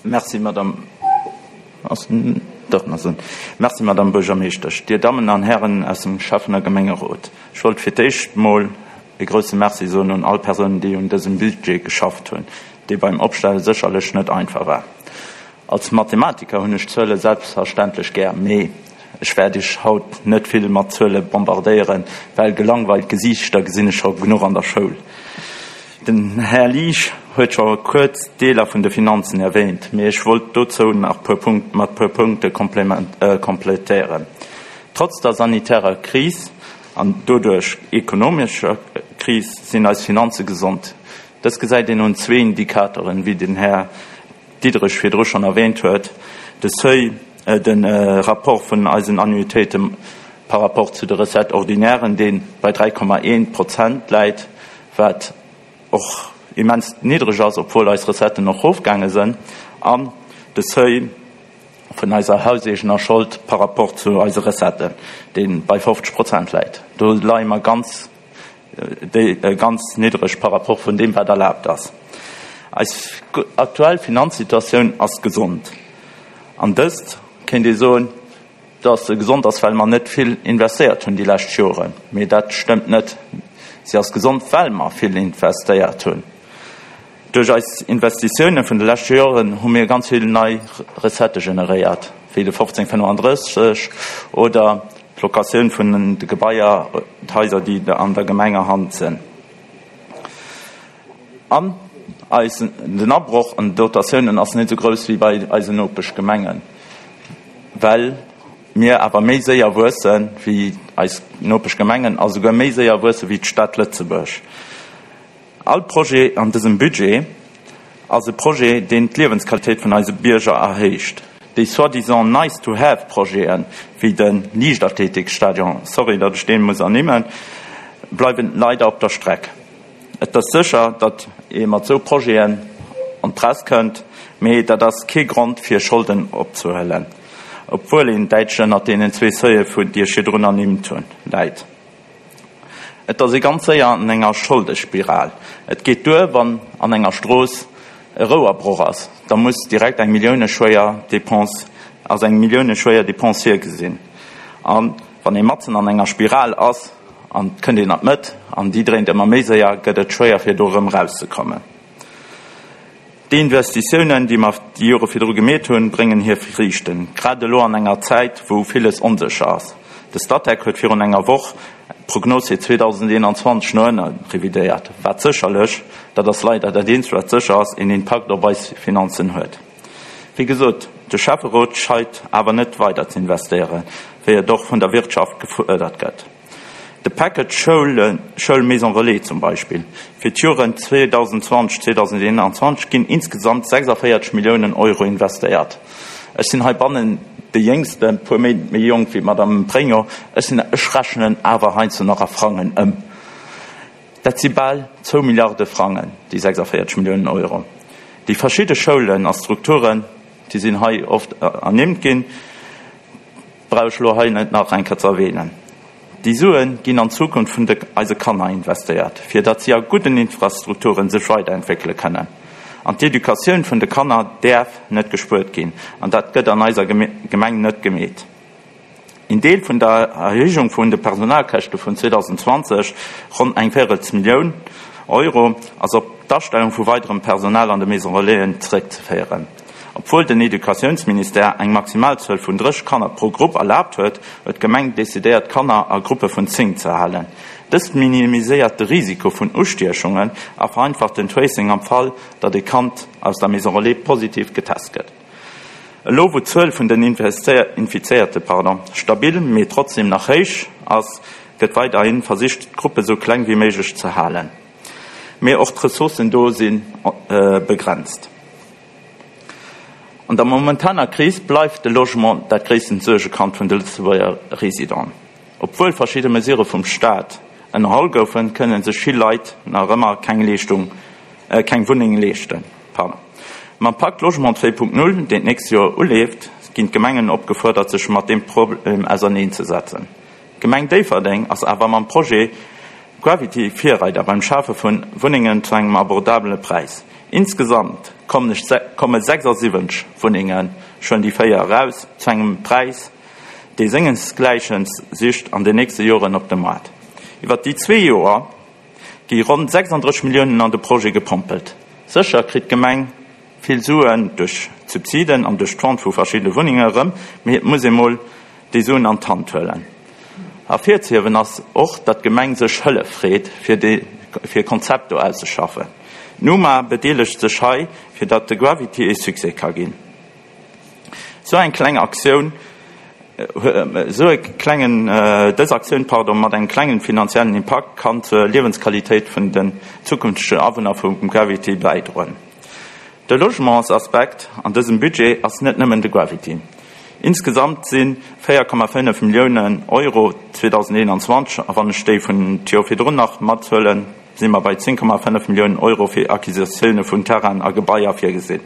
Merci, Madame. Ass den, dach, en ass un. Merci, Madame Buergermeeschtesch. Dir Dammen an Hären aus dem Schäffen a Gemengerot, ech wollt fir d'éischt mol e grouse Merci soen un all Persounen, déi un dësem Budget geschafft hunn, dee beim Opstelle sécherlech net einfach war. Als Mathematiker hunn ech Zuele selbstverständlech gär, mee ech wäert Iech haut net vill mat Zuele bombardéieren, well gelangweilt Gesiichter gesinn ech scho genuch an der Schoul. Den Här Liesch huet scho kuerz Deeler vun de Finanzen erwähnt, mee ech wollt dozou nach puer Punkt, mat puer Punkte kompletéieren. Trotz der sanitärer Kris an doduerch ekonomescher Kris sinn eis Finanze gesond. Dës gesäit een un zwee Indikatoren, wéi den Här Diderich virdru schonn erwähnt huet, de Seuil, de Rapport vun eisen Annuitéite par rapport zu de Recettes ordinairen, dee bei dräi Komma eent Prozent läit, wat och immens niddreg ass, obwuel eis Recetten och erofgaange sinn, an de Seuil vun eiser hauseegener Schold par rapport zu eise Recetten, dee bei fofzeg Prozent läit. Do leie mer ganz, ganz niddreg par rapport vun deem, wat erlaabt ass. Eis aktuell Finanzsituatioun ass gesond. An dëst kéint ee soen, dass se gesond ass, well mer net vill investéiert hunn déi lescht Joren. Mee dat stëmmt net. Si ass gesond, well mer vill investéiert hunn. Duerch eis Investitioune vun de leschte Joren hu mir ganz vill nei Recettë generéiert, wéi de fofzéng fënnefandrësseg oder d'Locatioun vun de Gebaier, d'Haiser, déi an der Gemengerhand sinn. An eisen, den Abroch an den Dotatiounen ass net esou grouss wéi bei eisen Nopeschgemengen, well mir awer méi séier wuesse wéi eis Nopeschgemengen a souguer méi séier wuesse wéi d'Stad Lëtzebuerg. All Projet an dësem Budget ass e Projet, deen d'Liewensqualitéit vun eise Bierger erhéicht. Déi soi-disant nice-to-have-Projeten, wéi de Liichtathletikstadion, sorry, datt ech dee muss ernimmen, bleiwen leider op der Streck. Et ass sécher, datt ee mat esou Projeten an d'Press kënnt, mee dat ass kee Grond fir Scholden opzehuelen, obwuel een däitlech ënnert deenen zwee Seuile vun déi ech virdrun ernimmt hunn, läit. Et ass ee ganz séier an enger Scholdespiral. Et geet duer, wann an enger Strooss e Rouerbroch ass, da muss direkt eng milliouneschwéier Dépense, ass eng milliouneschwéier Dépense virgesinn. A wann ee matzen an enger Spiral ass an et kënnt een an d'Mëtt an déi dréint ëmmer méi séier, gëtt et schwéier fir do erëm erauszekommen. Déi Investitiounen, déi mer déi Jore virdru gemeet hunn, bréngen hir Friichten, grad elo an enger Zäit, wou villes onsécher ass. De Statec huet virun enger Woch d'Prognos fir zweedausendeenanzwanzeg no ënne revidéiert, wat sécherlech, dat ass leider dat eenzegt, wat sécher ass, een Impakt op eis Finanzen huet. Wéi gesot, de Schäfferot scheit awer net weider ze investéieren, wéi et och vun der Wirtschaft gefuerdert gëtt. De Package Schoul, Schoul Maison Relais zum Beispill, fir d'Joren zweedausendzwanzeg, zweedausendeenanzwanzeg ginn insgesamt sechsundvéierzeg Milliounen Euro investéiert. Ech sinn heibannen de Jéngsten, puer Méint méi jonk wéi d'Madame Pregno. Ech sinn, ech rechnen awer heiansdo nach a Frangen ëm. Dat si bal zwou Milliarde Frangen, déi sechsundvéierzeg Milliounen Euro. Déi verschidde Schoulen a Strukturen, déi sinn hei oft ernimmt ginn, brauch ech elo hei net nach eng Kéier ze erwähnen. Déi Sue ginn an d'Zukunft vun de eise Kanner investéiert, fir datt si a gudden Infrastrukturen sech weiderentwéckele kënnen. An d'Educatioun vun de Kanner däerf net gespuert ginn, an dat gëtt an eiser Gemeng net gemeet. Een Deel vun der Erhéijung vun de Personalkäschte vun zweedausendzwanzeg, ronn eng Véirelsmillioun Euro, ass op d'Astellung vu weiderem Personal an de Maison Relaisen zeréckzeféieren. Obwuel den Educatiounsministère eng Maximalzuel vun drësseg Kanner pro Grupp erlaabt huet, huet d'Gemeng decidéiert, Kanner a Gruppe vun zéng ze halen. Dëst minimiséiert de Risiko vun Ustiechungen a vereinfacht den Tracing am Fall, datt e Kand aus der Maison Relais positiv getest gëtt. Elo wou d'Zuel vun den Infizéierte pardon, stabil, mee trotzdem nach héich ass, gëtt weiderhi versicht, d'Gruppe sou kleng wéi méiglech ze halen. Mee och d'Ressourcen do si begrenzt. An der momentaner Kris bleift de Logement dat gréisstent Suergekand vun de Lëtzebuerger Residenten. Obwuel verschidde Mesure vum Staat ënnerholl goufen, kënne sech vill Leit nach ëmmer keng Leeschtung, keng Wunneng leeschten. Pardon. Mam Pakt Logement zwee Punkt null, deen d'nächst Joer uleeft, ginn d'Gemengen opgefuerdert, sech mat deem Problem auserneenzesetzen. D'Gemeng Déifferdeng ass awer mam Projet Gravity Virreider beim Schafe vu Wunnengen zu engem abordabele Präis. Insgesamt komme sechsundsiwwenzeg Wunnengen, ech huelen déi véier eraus, zu engem Präis, dee sengesgläichen sicht an den nächste Joren op de Moart. Iwwer déi zwee Joer gi ronn sechsunddrësseg Milliounen an de Projet gepompelt. Sécher kritt d'Gemeng vill Suen duerch d'Subsiden an duerch d'Vente vu verschiddene Wunnenge erëm, mee et muss ee mol déi Suen an d'Hand huelen. Ervirzehiewen ass och, datt d'Gemeng sech Hëllef freet, fir de fir e Konzept do auszeschaffen. D'Numa bedeelegt sech hei, fir datt de Gravity e Succès ka ginn. Sou eng kleng Aktioun, sou e klengen, dës Aktioun, pardon, mat engem klengen finanziellen Impakt kann zur Liewensqualitéit vun den zukünftegen Awunner vum Gravity bäidroen. De Logementsaspekt an dësem Budget ass net nëmmen de Gravity. Insgesamt si véier Komma fënnef Milliounen Euro zweedausendeenanzwanzeg, a wann ech déi vun d'Joer virdrun nach mathuelen, si mer bei zéng Komma fënnef Milliounen Euro fir Acquisitioune vun Terrainen a Gebaier virgesinn.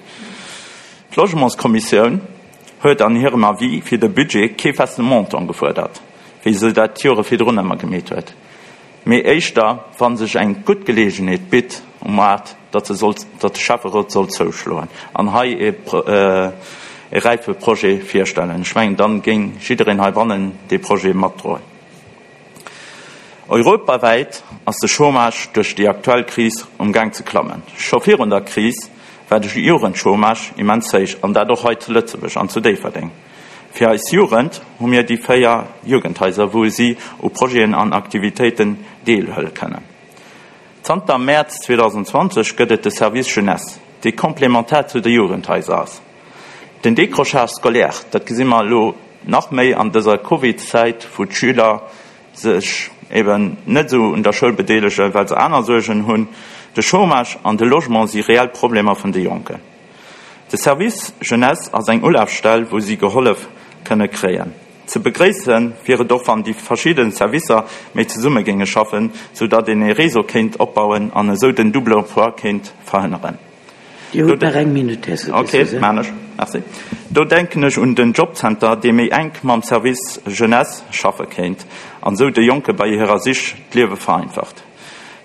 D'Logementskommissioun huet an hirem Avis fir de Budget kee feste Montant gefuerdert, wéi se dat d'Jore virdrun ëmmer gemeet huet, mee éischter, wa sech eng gutt Geleegenheet bitt um Maart, datt se soll, datt de Schäfferot soll zouschloen an hei e e räife Projet virstellen. Ech mengen, dann géing jiddereen heibannen dee Projet matdroen. Europawäit ass de Chômage duerch déi aktuell Kris um Gaang ze klammen. Scho virun der Kris war de Jugendchômage immens héich, an dat och hei zu Lëtzebuerg an zu Déifferdeng. Fir eis Jugend hu mir déi véier Jugendhaiser, wou si u Projeten an Aktivitéiten deelhuele kënnen. Zanter Mäerz zweedausendzwanzeg gëtt et de Service Jeunesse, dee komplementär zu de Jugendhaiser ass. Den Décrochage scolaire, dat gesi mer elo nach méi an dëser Covid-Zäit, wou d'Schüler sech eben net esou un der Schoul bedeelegen, well se aner Suergen hunn. De Chômage an de Logement si reell Problemer vun de Jonken. De Service Jeunesse ass eng Ulafstell, wou si gehollef kënne kréien. Ze begréisse wier et och, wann déi verschidde Servicer méi zesumme géinge schaffen, sou datt een ee Réseau kéint opbauen an esou den Double emploi kéint verhënneren. Dir hutt nach eng Minutt, Här Sousa. Ok, maan ech. Merci. Do denken ech un den Jobcenter, dee méi enk mam Service Jeunesse schaffe kéint an esou de Jonke bei hirer Sich d'Liewe vereinfacht.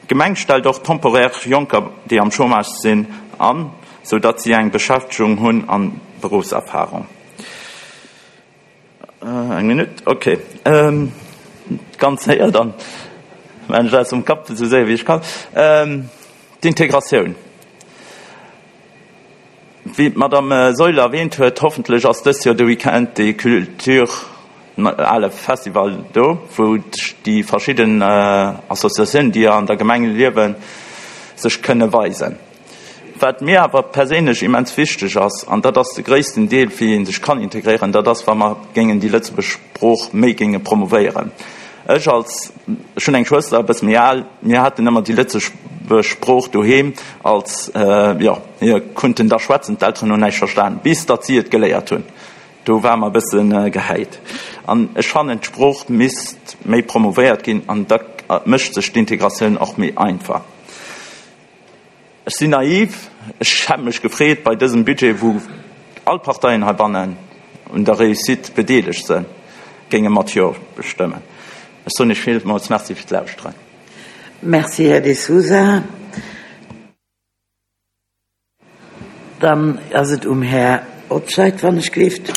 D'Gemeng stellt och temporär Jonker, déi am Chômage sinn, an, sou datt si eng Beschäftegung hunn an Beruffserfahrung. Eng Minutt, ok. Ganz séier dann, maachen ech aus dem Kapp esou séier wéi ech kann. D'Integratioun. Wéi d'Madame Seuler erwähnt huet, hoffentlech ass dëst Joer de Weekend de Culture ale Festival do, wou déi verschidden Associatiounen, déi an der Gemeng liewen, sech kënne weisen. Wat mir awer perséinlech immens wichteg ass, an dat ass de gréissten Deel, wéi ee sech kann integréieren, dat ass, wa mer géingen déi lëtzebuergesch Sprooch méi géinge promovéieren. Ech als, ech hunn eng Schwëster, e bësse méi al, mir haten ëmmer déi lëtzebuergesch Sprooch doheem als, jo, mir kunnten da schwätzen, d'Elteren hunn näischt verstan, bis datt si et geléiert hunn. Do ware mer e bësse gehäit. An ech fannen, d'Sprooch misst méi promovéiert ginn an da mécht sech d'Integratioun och méi einfach. Ech sinn naiv, ech hätt mech gefreet bei dësem Budget, wou all Parteien heibannen un der Réussite bedeelegt sinn, géinge mat Jo stëmmen. Ech soen Iech villmools Merci fir d'Lauschteren. Merci, Här De Sousa. Dann ass et um Här Otscheit, wann ech gleeft.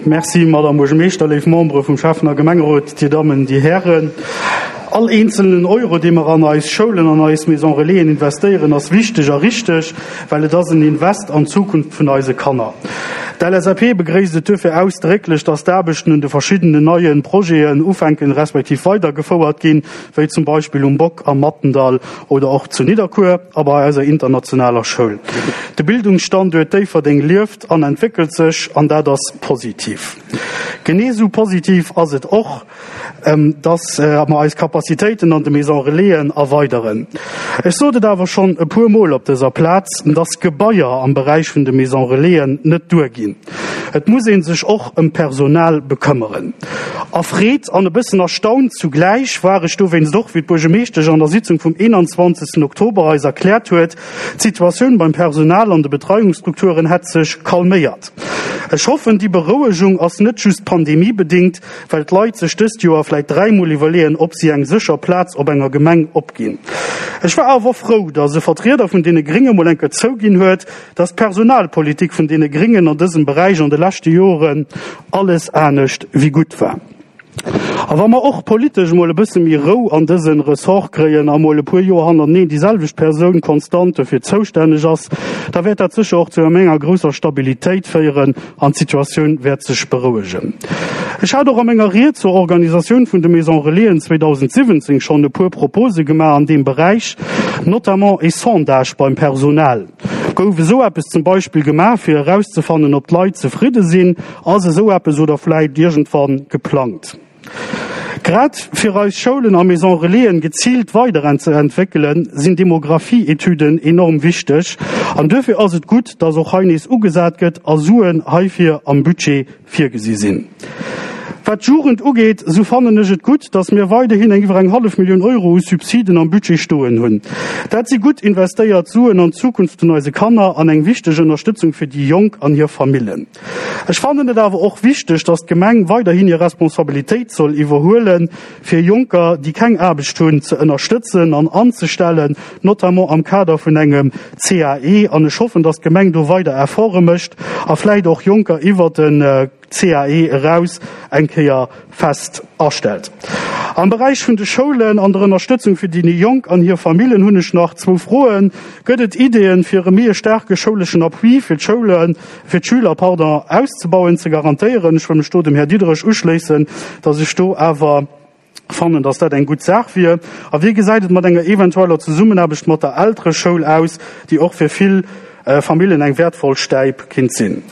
Merci, Madame Buergermeeschter, léif Membere vum Schäffen a Gemengerot, Dir Dammen, Dir Hären. All eenzelnen Euro, dee mer an eis Schoulen, an eis Maison Relaisen investéieren, ass wichteg a richteg, well et ass en Invest an d'Zukunft vun eise Kanner. D'L S A P begréisst et duerfir ausdrécklech, dass d'Aarbechten un de verschiddenen neie Projeten ufänken, respektiv weidergefouert ginn, wéi zum Beispill um Bock, am Mattendall oder och zu Nidderkuer a bei eiser internationaler Schoul. De Bildungsstanduert Déifferdeng lieft an entwéckelt sech, an dat ass positiv. Genee sou positiv ass et och, dass mer eis Capacitéiten an de Maisons Relaisen erweideren. Ech sot et awer schonn e puer Mol op dëser Plaz, dass Gebaier am Beräich vun de Maisons Relaisen net duerginn. Et muss ee sech och ëm d'Personal bekëmmeren. Erfreet an e bëssen erstaunt zugläich war ech dowéinst och, wéi d'Buergermeeschtesch an der Sitzung vum eenanzwanzegsten Oktober eis erkläert huet, d'Situatioun beim Personal an de Betreiungsstrukturen hätt sech calméiert. Ech hoffen, déi Berouegung ass net just pandemiebedéngt, well d'Leit sech dëst Joer vläit dräimol iwwerleeën, ob si eng sécher Plaz op enger Gemeng opginn. Ech war awer frou, datt e Vertrieder vun deene Grénge mol eng Kéier zouginn huet, datt d'Personalpolitik vun deene Gréngen an dësem Beräich an de leschte Joren alles anescht wéi gutt war. A wa mer och politesch mol e bësse méi Rou an dëse Ressort kréien a mol e puer Joer hannerteneen déi selwecht Persoun konstant dofir zoustänneg ass, da wäert dat sécher och zu enger grousser Stabilitéit féieren an d'Situatioun wäert sech berouegen. Ech hat och a menger Ried zur Organisatioun vun de Maisons Relaisen zweedausendsiwwenzéng schonn e puer Propose gemaach an deem Beräich, notamment e Sondage beim Personal. Gouf esou eppes zum Beispill gemaach, fir erauszefannen, ob d'Leit zefridde sinn? Ass esou eppes oder vläit iergendwann geplangt? Grad fir eis Schoulen a Maisons Relaisen geziilt weiderentzeentwéckelen, sinn Demografie-Etüden enorm wichteg. An duerfir ass et gutt, dass och hei nees ugesat gëtt a Suen heifir am Budget virgesi sinn. Wat d'Jugend ugeet, esou fannen ech et gutt, dass mir weiderhin eng iwwer eng hallef Millioun Euro u Subsiden am Budget stoen hunn. Dat si gutt investéiert Suen an d'Zukunft vun eise Kanner an eng wichteg Ënnerstëtzung fir déi Jonk an hir Famillen. Ech fannen et awer och wichteg, dass d'Gemeng weiderhin hir Responsabilitéit soll iwwerhuelen, fir Jonker, déi keng Aarbecht hunn, ze ënnerstëtzen an anzestellen, notamment am Kader vun engem C A E. An ech hoffen, dass d'Gemeng do weider Efforte mécht a vläicht och Jonker iwwert den C A E eraus eng Kéier fest astellt. Am Beräich vun de Schoulen an der Ënnerstëtzung fir déi Jonk an hir Famillen hunn ech nach zwou Froen. Gëtt et Ideeën, fir e méi staarke schouleschen Appui fir d'Schoulen, fir d'Schüler, pardon, auszebauen, ze garantéieren? Ech wëll mech do dem Här Diderich uschléissen, dass ech do awer fannen, dass dat eng gutt Saach wier. A wéi gesäit et mat enger eventueller Zesummenaarbecht mat der Eltereschoul aus, déi och fir vill Famillen eng wäertvoll Stäip kinnt sinn?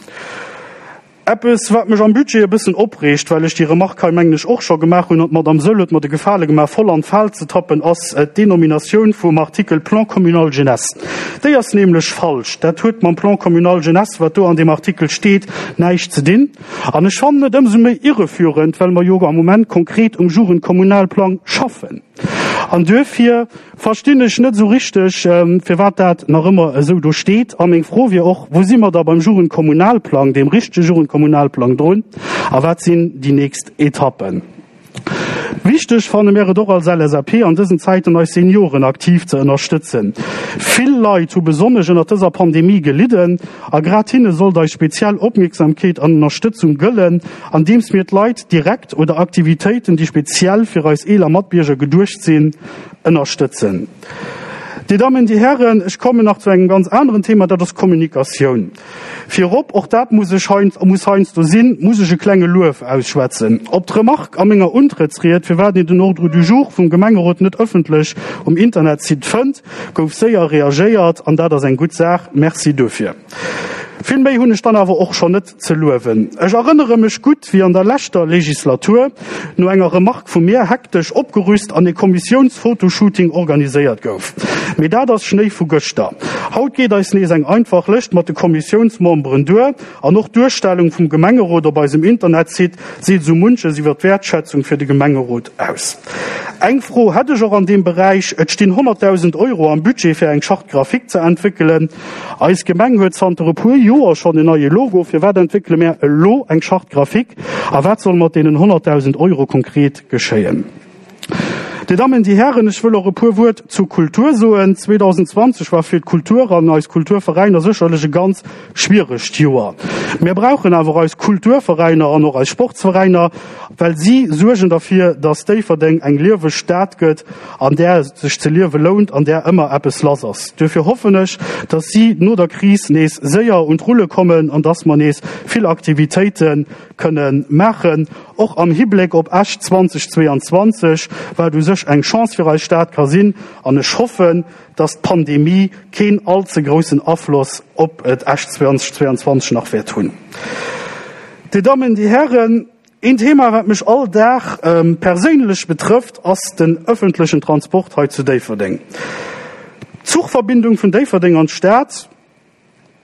Eppes, wat mech am Budget e bëssen opreegt, well ech déi Remark hei, mengen ech, och scho gemaach hunn, an d'Madame Saeul huet mer de Gefale gemaach, voll an d'Fal ze tappen, ass d'Denominatioun vum Artikel Plan communal jeunesse. Déi ass nämlech falsch. Dat huet mam Plan communal jeunesse, wat do an deem Artikel steet, näischt ze dinn. An ech fannen et ëmsou méi irreführend, well mer jo am Moment konkret um Jugendkommunalplang schaffen. An duerfir verstinn ech net esou richteg, firwat dat nach ëmmer esou do steet. A meng Fro wier och, Wou si mer da beim Jugendkommunalplang, deem richtege Jugendkommunalplang drun, a wat sinn déi nächst Etappen? Wichteg fanne mir et och als L S A P an dësen Zäiten eis Senioren aktiv ze ënnerstëtzen. Vill Leit hu besonnesch ënnert dëser Pandemie gelidden a grad hinne sollt eis speziell Opmierksamkeet an Ënnerstëtzung gëllen, andeems mir d'Leit direkt oder Aktivitéiten, déi speziell fir eis eeler Matbierger geduecht sinn, ënnerstëtzen. Dir Dammen, Dir Hären, ech kommen nach zu engem ganz aneren Thema, dat ass Kommunikatioun. Virop, och dat muss ech muss heiansdo sinn, muss ech e klenge Luef ausschwätzen. Op d'Remark a menger Untrëttsried, firwat een den Ordre du jour vum Gemengerot net ëffentlech um Internetsite fënnt, gouf séier reagéiert an dat ass eng gutt Saach. Merci dofir. Vill méi hunn ech dann awer och schonn net ze luewen. Ech erënnere mech gutt, wéi an der leschter Legislatur no enger Remark vu mir hektesch opgerüst an e Kommissiounsfotoshooting organiséiert gouf. Mee dat ass Schnéi vu gëschter. Haut geet eis nees eng einfach Lëscht mat de Kommissiounsmemberen duer an och d'Duerstellung vum Gemengerot op eisem Internetsite seet esou munches iwwer d'Wäertschätzung fir de Gemengerot aus. Eng Fro hätt ech och an deem Beräich, Et stinn honnertdausend Euro am Budget fir eng Charte graphique ze entwéckelen. Eis Gemeng huet zanter e puer Joer schonn en neie Logo. Firwat entwéckele mär elo eng Charte graphique a wat soll mat deenen honnertdausend Euro konkret geschéien? Dir Dammen, Dir Hären, ech wëll och e puer Wuert zur Kultur soen. zweedausendzwanzeg war fir d'Kultur an eis Kulturveräiner sécherlech e ganz schwieregt Joer. Mir brauchen awer eis Kulturveräiner an och eis Sportsveräiner, well si suergen derfir, dass Déifferdeng eng lieweg Stad gëtt, an där et sech ze liewe lount, an där ëmmer eppes lass ass. Duerfir hoffen ech, dass si no der Kris nees séier un d'Rulle kommen an dass mer nees vill Aktivitéite kënne maachen, och am Hibléck op Esch zweedausendzweianzwanzeg, wat u sech eng Chance fir eis Stad ka sinn. An ech hoffen, dass d'Pandemie keen all ze groussen Afloss op Esch zweedausendzweianzwanzeg nach wäert hunn. Dir Dammen, Dir Hären, een Thema, wat mech all Dag perséinlech betrëfft, ass den ëffentlechen Transport hei zu Déifferdeng. D'Zuchverbindung vun Déifferdeng an d'Stad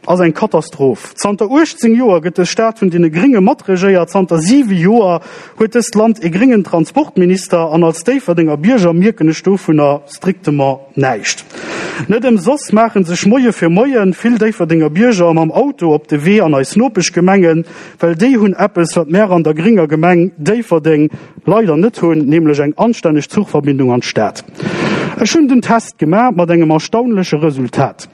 ass eng Katastroph. Zanter uechtzéng Joer gëtt dës Stad vun deene Gringe matregéiert. Zanter siwe Joer huet dëst Land ee gréngen Transportminister an als Déifferdenger Bierger mierken ech dovunner strictement näischt. Net ëmsoss maache sech Moie fir Moien vill Déifferdenger Bierger mam Auto op de Wee an eis Nopeschgemengen, well déi hunn eppes, wat mär an der grénger Gemeng Déifferdeng leider net hunn, nämlech eng anstänneg Zuchverbindung an d'Stad. Ech hunn den Test gemaach, mat engem erstaunleche Resultat.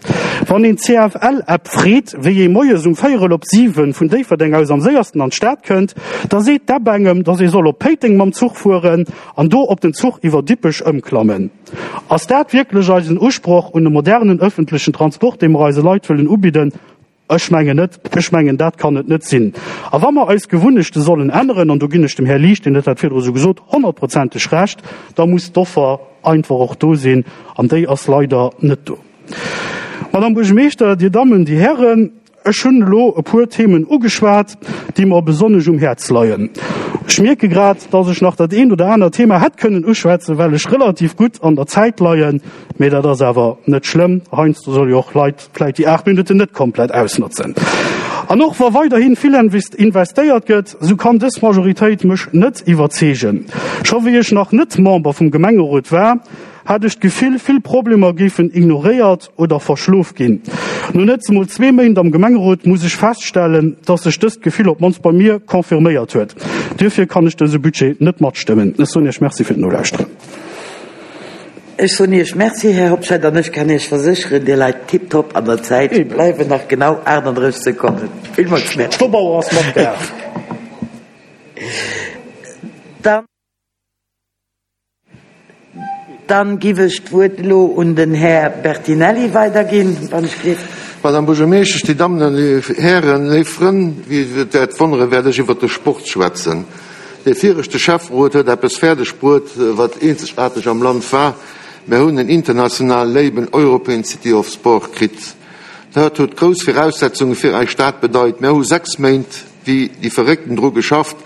Wann een d'C F L App freet, wéi ee moies um véierel op siwen vun Déifferdeng aus am séiersten an d'Stad kënnt, da seet d'App engem, dass ee soll op Péiteng mam Zuch fueren an do op den Zuch iwwer Dippech ëmklammen. Ass dat wierklech eisen Usproch un e modernen ëffentlechen Transport, dee mer eise Leit wëllen ubidden? Ech mengen net. Ech mengen, dat kann et net sinn. A wa mer eis Gewunnechte sollen änneren, an do ginn ech dem Här Liesch, deen huet dat virdru esou gesot, honnertprozenteg Recht, da muss d'Offer einfach och do sinn, an déi ass leider net do. Madame Buergermeeschter, Dir Dammen, Dir Hären, ech hunn elo e puer Themen ugeschwat, déi mer besonnesch um Häerz leien. Ech mierke grad, dass ech nach dat eent oder anert Thema hätt kënnen uschwätzen, well ech relativ gutt an der Zäit leien, mee dat ass awer net schlëmm. Heiansdo solle jo och Leit vläicht déi aacht Minutten net komplett ausnotzen. An och wa weiderhi vill investéiert gëtt, sou kann dës Majoritéit mech net iwwerzeegen. Scho wéi ech nach net Member vum Gemengerot war, hat ech d'Gefill, vill Problemer géifen ignoréiert oder verschlof ginn. No net emol zwee Méint am Gemengerot muss ech feststellen, dass sech dëst Gefill op d'mannst bei mir confirméiert huet. Duerfir kann ech dëse Budget net matstëmmen. Ech soen Iech Merci fir d'Nolauschteren. Ech soen Iech Merci, Här Hobscheit, an ech kann Iech versécheren, Dir leit tiptop an der Zäit. Et bleiwen nach genau aachtanddrësseg Sekonnen. Villmools Merci. D'Stopauer ass mat der. Dann. Dann giff ech d'Wuert elo un den Här Bertinelli weiderginn, wann ech giff. Madame Buergermeeschtesch, Dir Dammen an Dir Hären, léif Frënn, wéi et wäert wonneren, wäert ech iwwert de Sport schwätzen. Dee viregte Schäfferot huet eppes fäerdeg bruet, wat eenzegaarteg am Land war, Mär hunn en internationale Label European City of Sport kritt. Dat huet grouss Viraussetzunge fir eis Stad bedeit. Mär hu sechs Méint wéi déi Verréckten dru geschafft,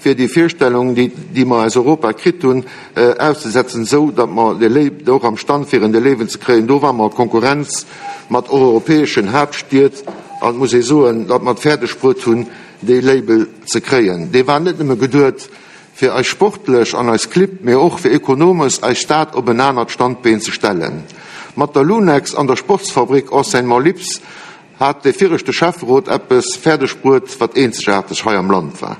fir déi Virstellung, déi, déi mer aus Europa kritt hunn, auszesetzen, esou datt mer de Label och am Stand wieren, de Label ze kréien. Do ware mer a Konkurrenz mat europäeschen Haaptstied an et muss ee soen, datt mer et fäerdeg bruet hunn, dee Label ze kréien. Dee war net nëmme geduet fir eis sportlech an eis Clibb, mee och fir ekonomesch eis Stad op en anert Standbeen ze stellen. Mat der Lunex an der Sportsfabrik Enseignement Lips hat dee viregte Schäfferot eppes fäerdeg bruet, wat eenzegaarteg hei am Land war.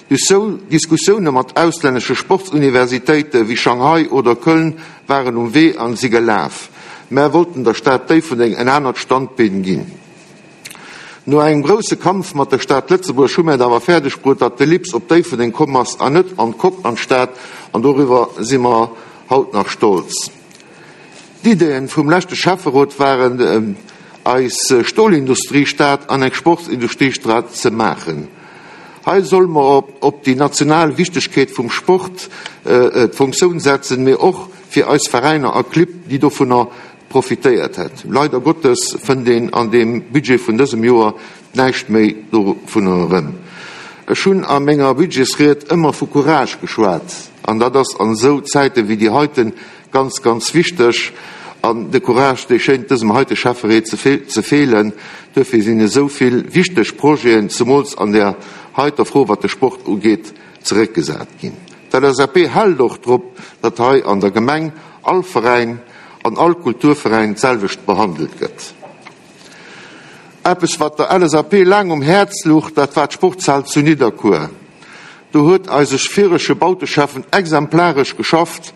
Duerch sou Diskussioune mat auslännesche Sportsuniversitéite wéi Shanghai oder Köln waren um Wee an si gelaf. Mär wollten der Stad Déifferdeng en anert Standbeen ginn. No engem grousse Kampf mat der Stad Lëtzebuerg hu mär et awer fäerdeg bruet, datt de Lips op Déifferdeng komm ass an net an d'Coque an d'Stad, an doriwwer si mer haut nach stolz. D'Ideen vum leschte Schäfferot waren, eis Stolindustriestad an eng Sportsindustriestad ze maachen. Hei solle mer op déi national Wichtegkeet vum Sport d'Funktioun setzen, mee och fir eis Veräiner a Clibb, déi dovunner profitéiert hätt. Leider Gottes fënnt een an deem Budget vun dësem Joer näischt méi dovunner erëm. Ech hunn a menger Budgetsried ëmmer vu Courage geschwat, an dat ass an esou Zäite wéi déi heiten ganz, ganz wichteg. An de Courage, dee schéint dësem heite Schäffereet ze feelen. Duerfir sinn esou vill wichteg Projeten, zemools an där heiter Fro, wat de Sport ugeet, zeréckgesat ginn. D'L S A P hält och drop, datt hei an der Gemeng all Veräin an all Kulturveräin d'selwecht behandelt gëtt. Eppes, wat der L S A P laang um Häerz luch, dat war d'Sportshal zu Nidderkuer. Do huet eise virege Bauteschäffen exemplaresch geschafft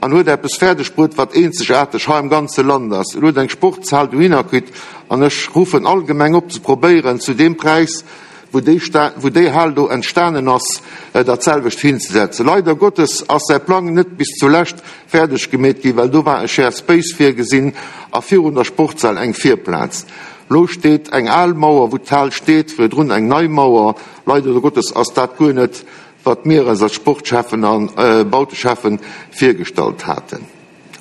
an huet eppes fäerdeg bruet, wat eenzegaarteg hei am ganze Land ass. En huet eng Sportshal dohinner kritt an ech ruffen all Gemeng op ze probéieren, zu deem Präis, wou déi, wou déi Hal do entstanen ass, dat selwecht hinzesetzen. Leider Gottes ass säi Plang net bis zulescht fäerdeg gemeet ginn, well do war e Shared Space virgesinn a virun der Sportshal eng Virplaz. Lo steet eng al Mauer, wou d'Hal steet, virdrun eng nei Mauer. Leider Gottes ass dat guer net, wat mir eis als Sportschäffen a Bauteschäffen virgestallt haten.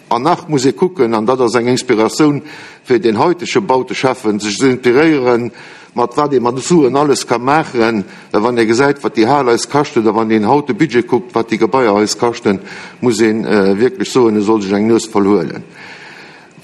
An nach muss ee kucken, an dat ass eng Inspiratioun fir den haitege Bauteschäffen, sech ze inspiréieren, mat wat ee mat Suen alles ka maachen. Well wann ee gesäit, wat déi Hal eis kascht, oder wann een haut de Budget kuckt, wat déi Gebaier eis kaschten, muss ee wierklech soen, e soll sech eng Nues voll huelen.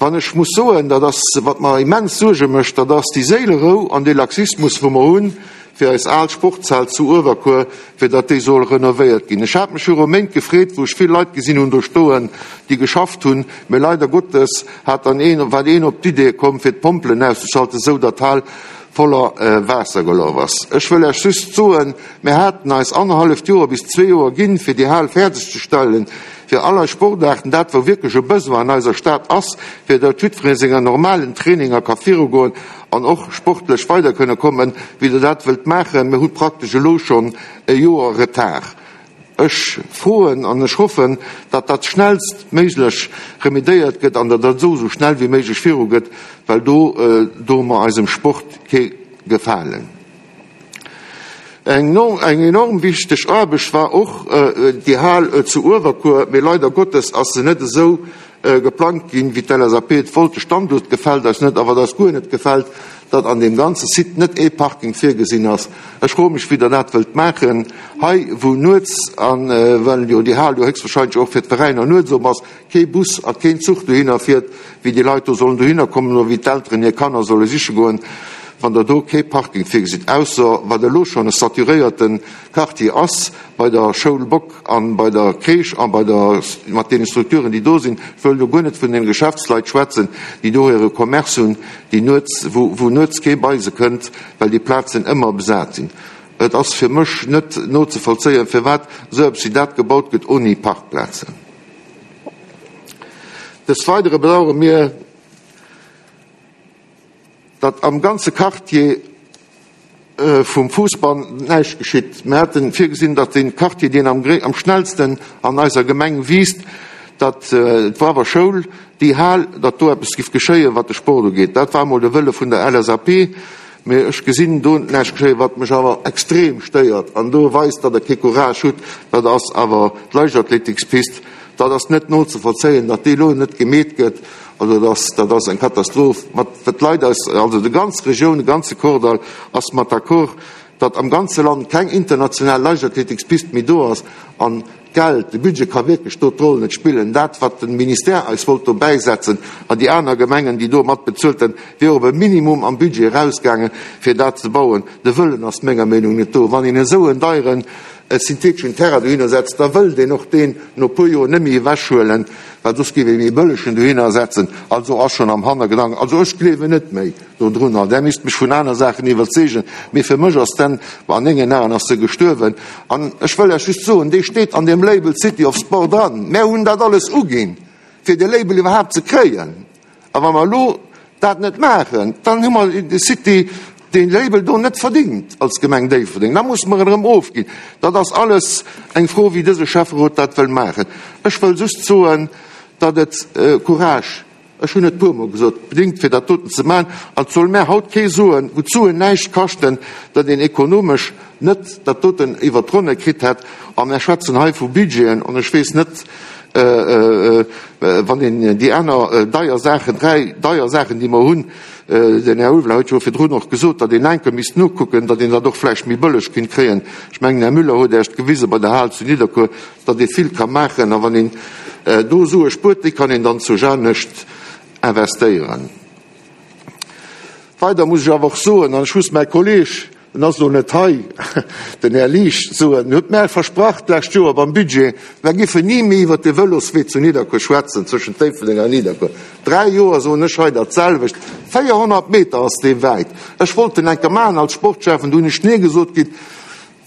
Wann ech muss soen, dat ass, wat mer immens Suerge mécht, dat ass déi Séilerou an dee Laxismus, wou mer hunn, fir eis al Sportshal zu Uewerkuer, fir datt déi soll renovéiert ginn. Ech hat mech viru Méint gefreet, wou ech vill Leit gesinn hunn do stoen, déi geschafft hunn, mee leider Gottes hat dann een, war een op d'Idee komm, fir d'Pompelen auszeschalten, esou datt d'Hal voller Waasser gelaf ass. Ech wëll Iech just soen, mir haten eis annerhalleft Joer bis zwee Joer ginn, fir déi Hal fäerdeg ze stellen, fir all eis Sportaarten, dat wou wierklech e Besoin an eiser Stad ass, fir datt jiddweree senger normalen Traininger ka virugoen an och sportlech weider kënne kommen, wéi Der dat wëllt maachen. Mir hu praktesch elo schonn e Joer Retard. Ech froen an ech hoffen, datt dat schnellstméiglech remediéiert gëtt an datt dat esou esou schnell wéi méiglech virugeet, well do doe mer eisem Sport kee Gefalen. Eng enorm wichteg Aarbecht war och déi Hal zu Uewerkuer, mee leider Gottes ass se net esou geplangt ginn, wéi d'L S A P et wollt. De Standuert gefält eis net, a wat eis guer net gefält, datt an deem ganze Site net ee Parking virgesinn ass. Ech froe mech, wéi Der dat wëllt maachen hei, wou nuets, a well jo déi Hal jo héchstwahrscheinlech och fir d'Veräiner nuets op ass, kee Bus a keen Zuch dohinner fiert, wéi déi Leit do sollen dohinner kommen oder wéi d'Elteren hir Kanner solle siche goen, wann Der do kee Parking virgesitt, ausser wat elo schonn e saturéierte Quartier ass bei der Schoul Bock a bei der Crèche a bei der, mat deene Strukturen, déi do sinn. Ech wëll do guer net vun den Geschäftsleit schwätzen, déi do hire Commerce hunn, déi nuets, wou, wou nuets kee bei se kënnt, well déi Plazen ëmmer besat sinn. Et ass fir mech net nozevollzéien, firwat esou eppes wéi dat gebaut gëtt ouni Parkplazen. Des Weidere bedauere mir, datt am ganze Quartier vum Fousbann näischt geschitt. Mir haten virgesinn, datt dee Quartier, deen am am schnellsten an eiser Gemeng wiisst, datt d'Wawer Schoul, déi Hal, datt do eppes giff geschéien, wat de Sport ugeet. Dat war emol de Wëlle vun der L S A P, mee ech gesinn do näischt geschéien. Wat mech awer extrem stéiert an do weist, datt Der kee Courage hutt, dat ass awer d'Leichtathletikspist. Dat ass net nozevollzéien, datt déi elo net gemeet gëtt. Also dat ass, dat ass eng Katastroph. Mat wat d'Leit eis, also déi ganz Regioun, de ganze Kordall ass mat d'accord, datt am ganze Land keng international Leichtathletikspist méi do ass. An d'Geld, de Budget ka wierklech do d'Roll net spillen. Dat, wat de Ministère eis wollt do bäisetzen an déi aner Gemengen, déi do mat bezuelt hunn, wier op e Minimum am Budget erausgaangen, fir dat ze bauen. De Wëllen ass menger Meenung net do. Wann een esou en deieren syntheteschen Terrain dohinner setzt, da wëllt een och deen no e puer Joer net méi ewechhuelen, well soss géif ee méi bëllegen dohinner setzen. Also ass schonn am Hannergedanken, also ech gleewen net méi dodrunner, Der misst mech vun aner Saachen iwwerzeegen, mee fir mech ass den, an mengen Aen ass se gestuerwen. An ech wëll lech just soen, dee steet an deem Label City of Sport dran. Mär hunn dat alles uginn, fir de Label iwwerhaapt ze kréien. A wa mer elo dat net maachen, dann hu mer de City, dee Label do net verdingt als Gemeng Déifferdeng. Da musse mer en erëm ofginn. Dat ass alles eng Fro, wéi dëse Schäfferot dat wëll maachen. Ech wëll just soen, datt et Courage, ech hunn et puermol gesot, bedingt, fir dat doten ze maachen. An et soll mär haut kee soen, wou d'Suen näischt kaschten, datt een ekonomesch net dat doten iwwert d'Ronne kritt hätt. A mär schwätzen hei vu Budgeten, an ech weess net, wann een déi aner deier Saachen, dräi deier Saachen, déi mer hunn, den Här Ulveling huet jo virdrun och gesot, datt een enke misst nokucken, datt een dat och vläicht méi bëlleg kinnt kréien. Ech mengen, Här Müller huet Iech gewise bei der Hal zu Nidderkuer, datt ee vill ka maachen, a wann een do Sue spuert, déi kann een dann zu anescht investéieren. Weider muss ech awer och soen, an ech muss mäi Kolleeg, en ass elo net hei, den Här Liesch, soen, en huet mär versprach d'lescht Joer beim Budget, mär géifen ni méi iwwert de Vëloswee zu Nidderkuer schwätzen, zwëschent Déifferdeng an Nidderkuer. Dräi Joer soen ech hei dat selwecht. véierhonnert Meter ass dee wäit. Ech wollt en enker maachen als Sportschäffen, du hunn ech nee gesot kritt.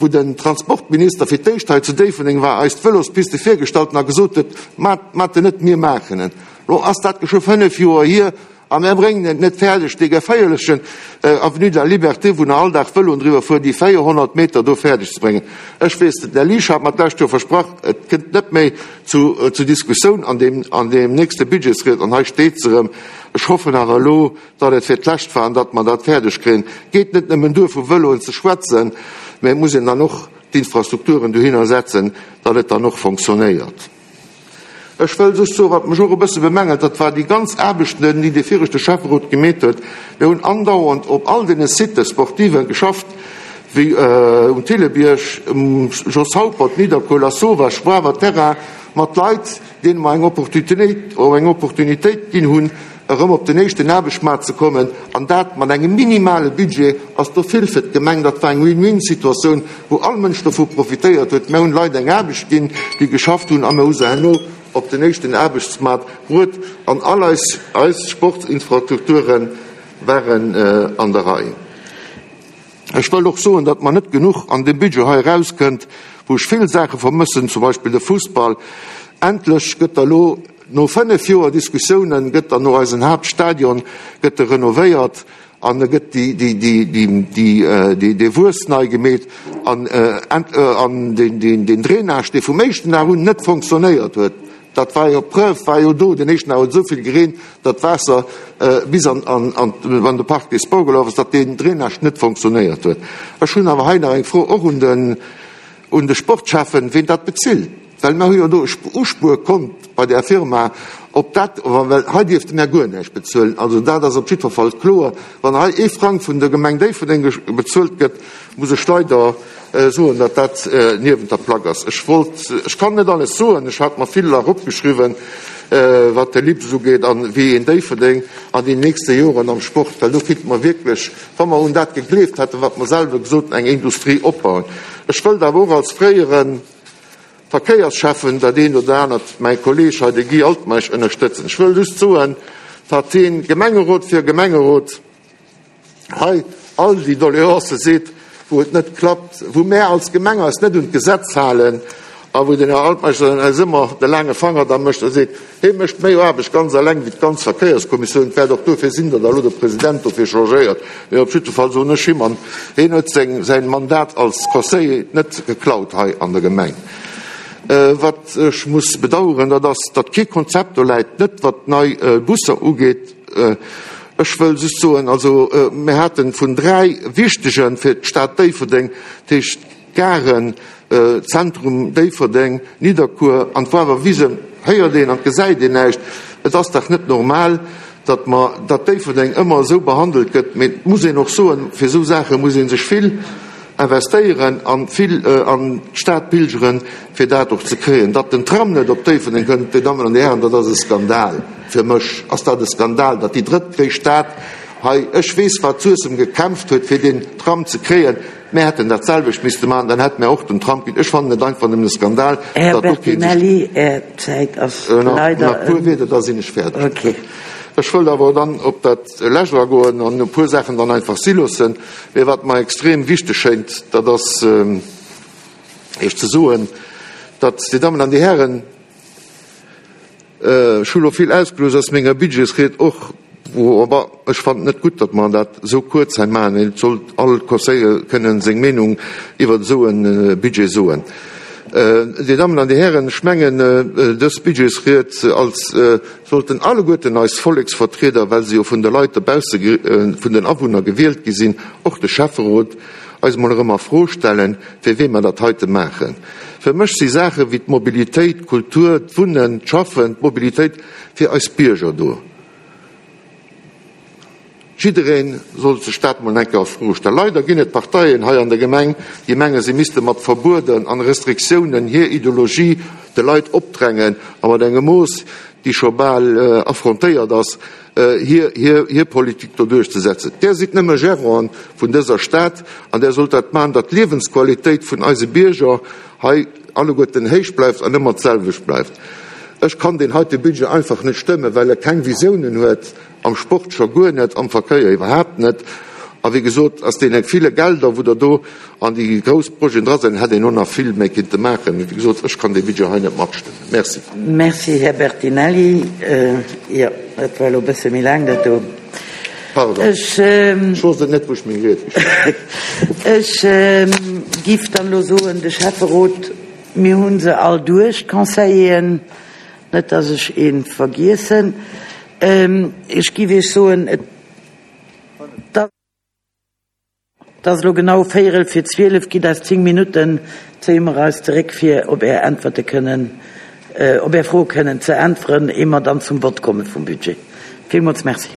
wou den Transportminister fir d'éischt hei zu Déifferdeng war, eis d'Vëlospiste virgestallt a gesot huet, Maat, maat en net, mir maachen en. Lo ass dat geschwë fënnef Joer hier a mär bréngen et net fäerdeg, dee geféierlechen Avenue de la Liberté, wou nach all Dag Vëloen driwwer fueren, déi véierhonnert Meter do fäerdeg ze bréngen. Ech weess, den Här Liesch hat mer d'lescht Joer versprach, et kënnt net méi zu, zu Diskussioun an deem, an deem nächste Budgetsried, an hei steet se erëm. Ech hoffen awer elo, datt et fir d'lescht war an datt mer dat fäerdeg kréien. Et geet net nëmmen duer, vu Vëloen ze schwätzen, mä et muss een dann och d'Infrastrukturen dohinner setzen, datt et dann och fonctionnéiert. Ech wëll just soen, wat mech och e bësse bemängelt, dat war déi ganz Aarbechten, déi dee viregte Schäfferot gemeet huet. Mir hunn andauernd op all deene Sites sportiven geschafft, wéi um Thillebierg, um Jos Haupert, Nidderkuer, Lasauvage, Wawer Terrain, mat Leit, deene mer eng Opportunitéit, eng Opportunitéit ginn hunn, erëm op den éischten Aarbechtsmaart ze kommen, an dat mat engem minimale Budget, ass do vill fir d'Gemeng. Dat war eng Win-win-Situatioun, wou all Mënsch dovu profitéiert huet. Mir hunn Leit eng Aarbecht ginn, déi geschafft hunn, a mir hu se herno op den éischten Aarbechtsmaart bruet, an all eis eis Sportsinfrastrukture waren an der Rei. Ech wëll och soen, datt mer net genuch an deem Budget hei erauskënnt, wou ech vill Saache vermëssen, zum Beispill de Fussball. Endlech gëtt da lo, no fënnef Joer Diskussiounen, gëtt dann no eisen Haaptstadion gëtt e renovéiert an e gëtt dee Wuess nei gemeet an deen Drainage, dee vum éischten Dag un net fonctionnéiert huet, dat war jo, d'Preuve war jo do, den éischten Dag huet esou vill gereent, datt d'Waasser bis an de Parc des Sports gelaf ass, datt deen Drainage net fonctionnéiert huet. Ech hunn awer hei nach eng Fro och un den un de Sportschäffen, ween dat bezilt, well mer hu jo do e Uspuerkont bei där Firma, ob dat, well hei dierfte mer guer näischt bezuelen. Also dat ass op jiddwer Fall kloer. Wann hei ee Frang vun der Gemeng Déifferdeng bezuelt gëtt, muss ech leider soen, datt dat niewent der Plack ass. Ech wollt, ech kann net alles soen, ech hat mer vill eropgeschriwwen, wat de LIPS ugeet a wéi een Déifferdeng an den nächste Joren am Sport, well do kéinte mer wierklech, wa mer un dat gegleeft hätten, wat mer selwer gesot hunn, eng Industrie opbauen. Ech wëllt awer och als fréiere Verkéiersschäffen dat eent oder anert, mäi Kolleeg hei, de Guy Altmeisch, ënnerstëtzen. Ech wëll just soen, datt heen Gemengerot fir Gemengerot hei all déi Doleancë seet, wou et net klappt, wou mär als Gemeng eis net un d'Gesetz halen a wou den Här Altmeisch dann eis ëmmer de laange Fanger da mécht a seet, hee mécht méi Aarbecht ganz eleng wéi d'ganz Verkéierskommissioun. Et wäert och dofir sinn, datt elo de President dofir changéiert. Mee op jidde Fall soen ech him, an heen huet seng, säin Mandat als Conseiller net geklaut hei an der Gemeng. Wat ech muss bedauern, dat ass, datt kee Konzept do läit, net wat nei Busser ugeet. Ech wëll just soen, also mir hate vun dräi wichtege fir d'Stad Déifferdeng, dat heescht Garen, Zentrum Déifferdeng, Nidderkuer an d'Wawerwisen, héiert een an gesäit een näischt. Et ass dach net normal, datt mer, datt Déifferdeng ëmmer esou behandelt gëtt. Mee et muss een och soen, fir esou Saache muss ee sech vill investéieren a vill an d'Stad pilgeren, fir dat och ze kréien. Datt den Tram net op Déifferdeng kënnt, Dir Dammen an Dir Hären, dat ass e Skandal. Fir mech ass dat e Skandal, datt déi drëttgréisst Stad hei, ech weess wat Suessem gekämpft huet, fir deen Tram ze kréien, mär hätten dat selwecht misste maachen, dann hätte mär och den Tram kritt. Ech fannen et einfach nëmmen e Skandal, Här datt do kee sech. Bertinelli, Är Zäit ass leider Nach e puer ëm. Wierder, da sinn ech fäerdeg. Okay. Ech wëllt awer dann op dat Lescht agoen an e puer Saachen dann einfach si loossen. Mee wat mer extrem wichteg schéint, dat ass Iech ze soen, datt, Dir Dammen an Dir Hären, ech hu lo vill ausgelooss aus menger Budgetsried och, wou, aber ech fannen et net gutt, datt mer dat esou kuerz hei maachen. Et sollt all Conseiller kënnen seng Meenung iwwert esou e Budget soen. Dir Dammen an Dir Hären, ech mengen, dës Budgetsried als sollten alleguerten eis Volleksvertrieder, well se jo vun de Leit dobausse, vun den Awunner gewielt gi sinn, och de Schäfferot, eis emol erëm a Fro stellen, fir wee mer dat heite maachen. Fir mech si Saache wéi d'Mobilitéit, d'Kultur, d'Wunnen, d'Schaffen, d'Mobilitéit fir eis Bierger do. Jidderee sollt sech dat mol eng Kéier a Fro stellen. Leider ginn et Parteien hei an der Gemeng, déi mengen, se misste mat Verbueden an Restriktiounen hir Ideologie de Leit opdrängen a mat engem Mooss, déi scho bal affrontéiert ass, hir Politik do duerchzesetzen. Där sidd nëmme Gérant vun dëser Stad an där sollt dat maachen, datt d'Liewensqualitéit vun eise Bierger hei alleguerten héich bleift an ëmmer d'selwecht bleift. Ech kann deen heite Budget einfach net stëmmen, well e keng Visiounen huet, am Sport scho guer net, am Verkéier iwwerhaapt net. A wéi gesot, aus deene ville Gelder, wou der do an déi grouss Projeten dra sinn, hätt een och nach vill méi kinnte maachen. Mee wéi gesot, ech kann dee Budget hei net matstëmmen. Merci. Merci, Här Bertinelli. Jo, dat war elo e bësse méi laang, dat do. Pardon, Ech. Ech wosst et net, wou ech meng Ried geschriwwen hunn. Ech giff dann elo soen, de Schäfferot, mir hu se all duerch, d'Conseilleren, net dass ech ee vergiessen. Ech giff Iech soen, et ass elo genau véierel vir zwielef, gitt eis zéng Minutten, zéie mer eis zeréck, fir op Är Äntwerte kënnen, op Är Froe kënnen ze äntweren, ier mer dann zum Vott komme vum Budget. Villmools Merci.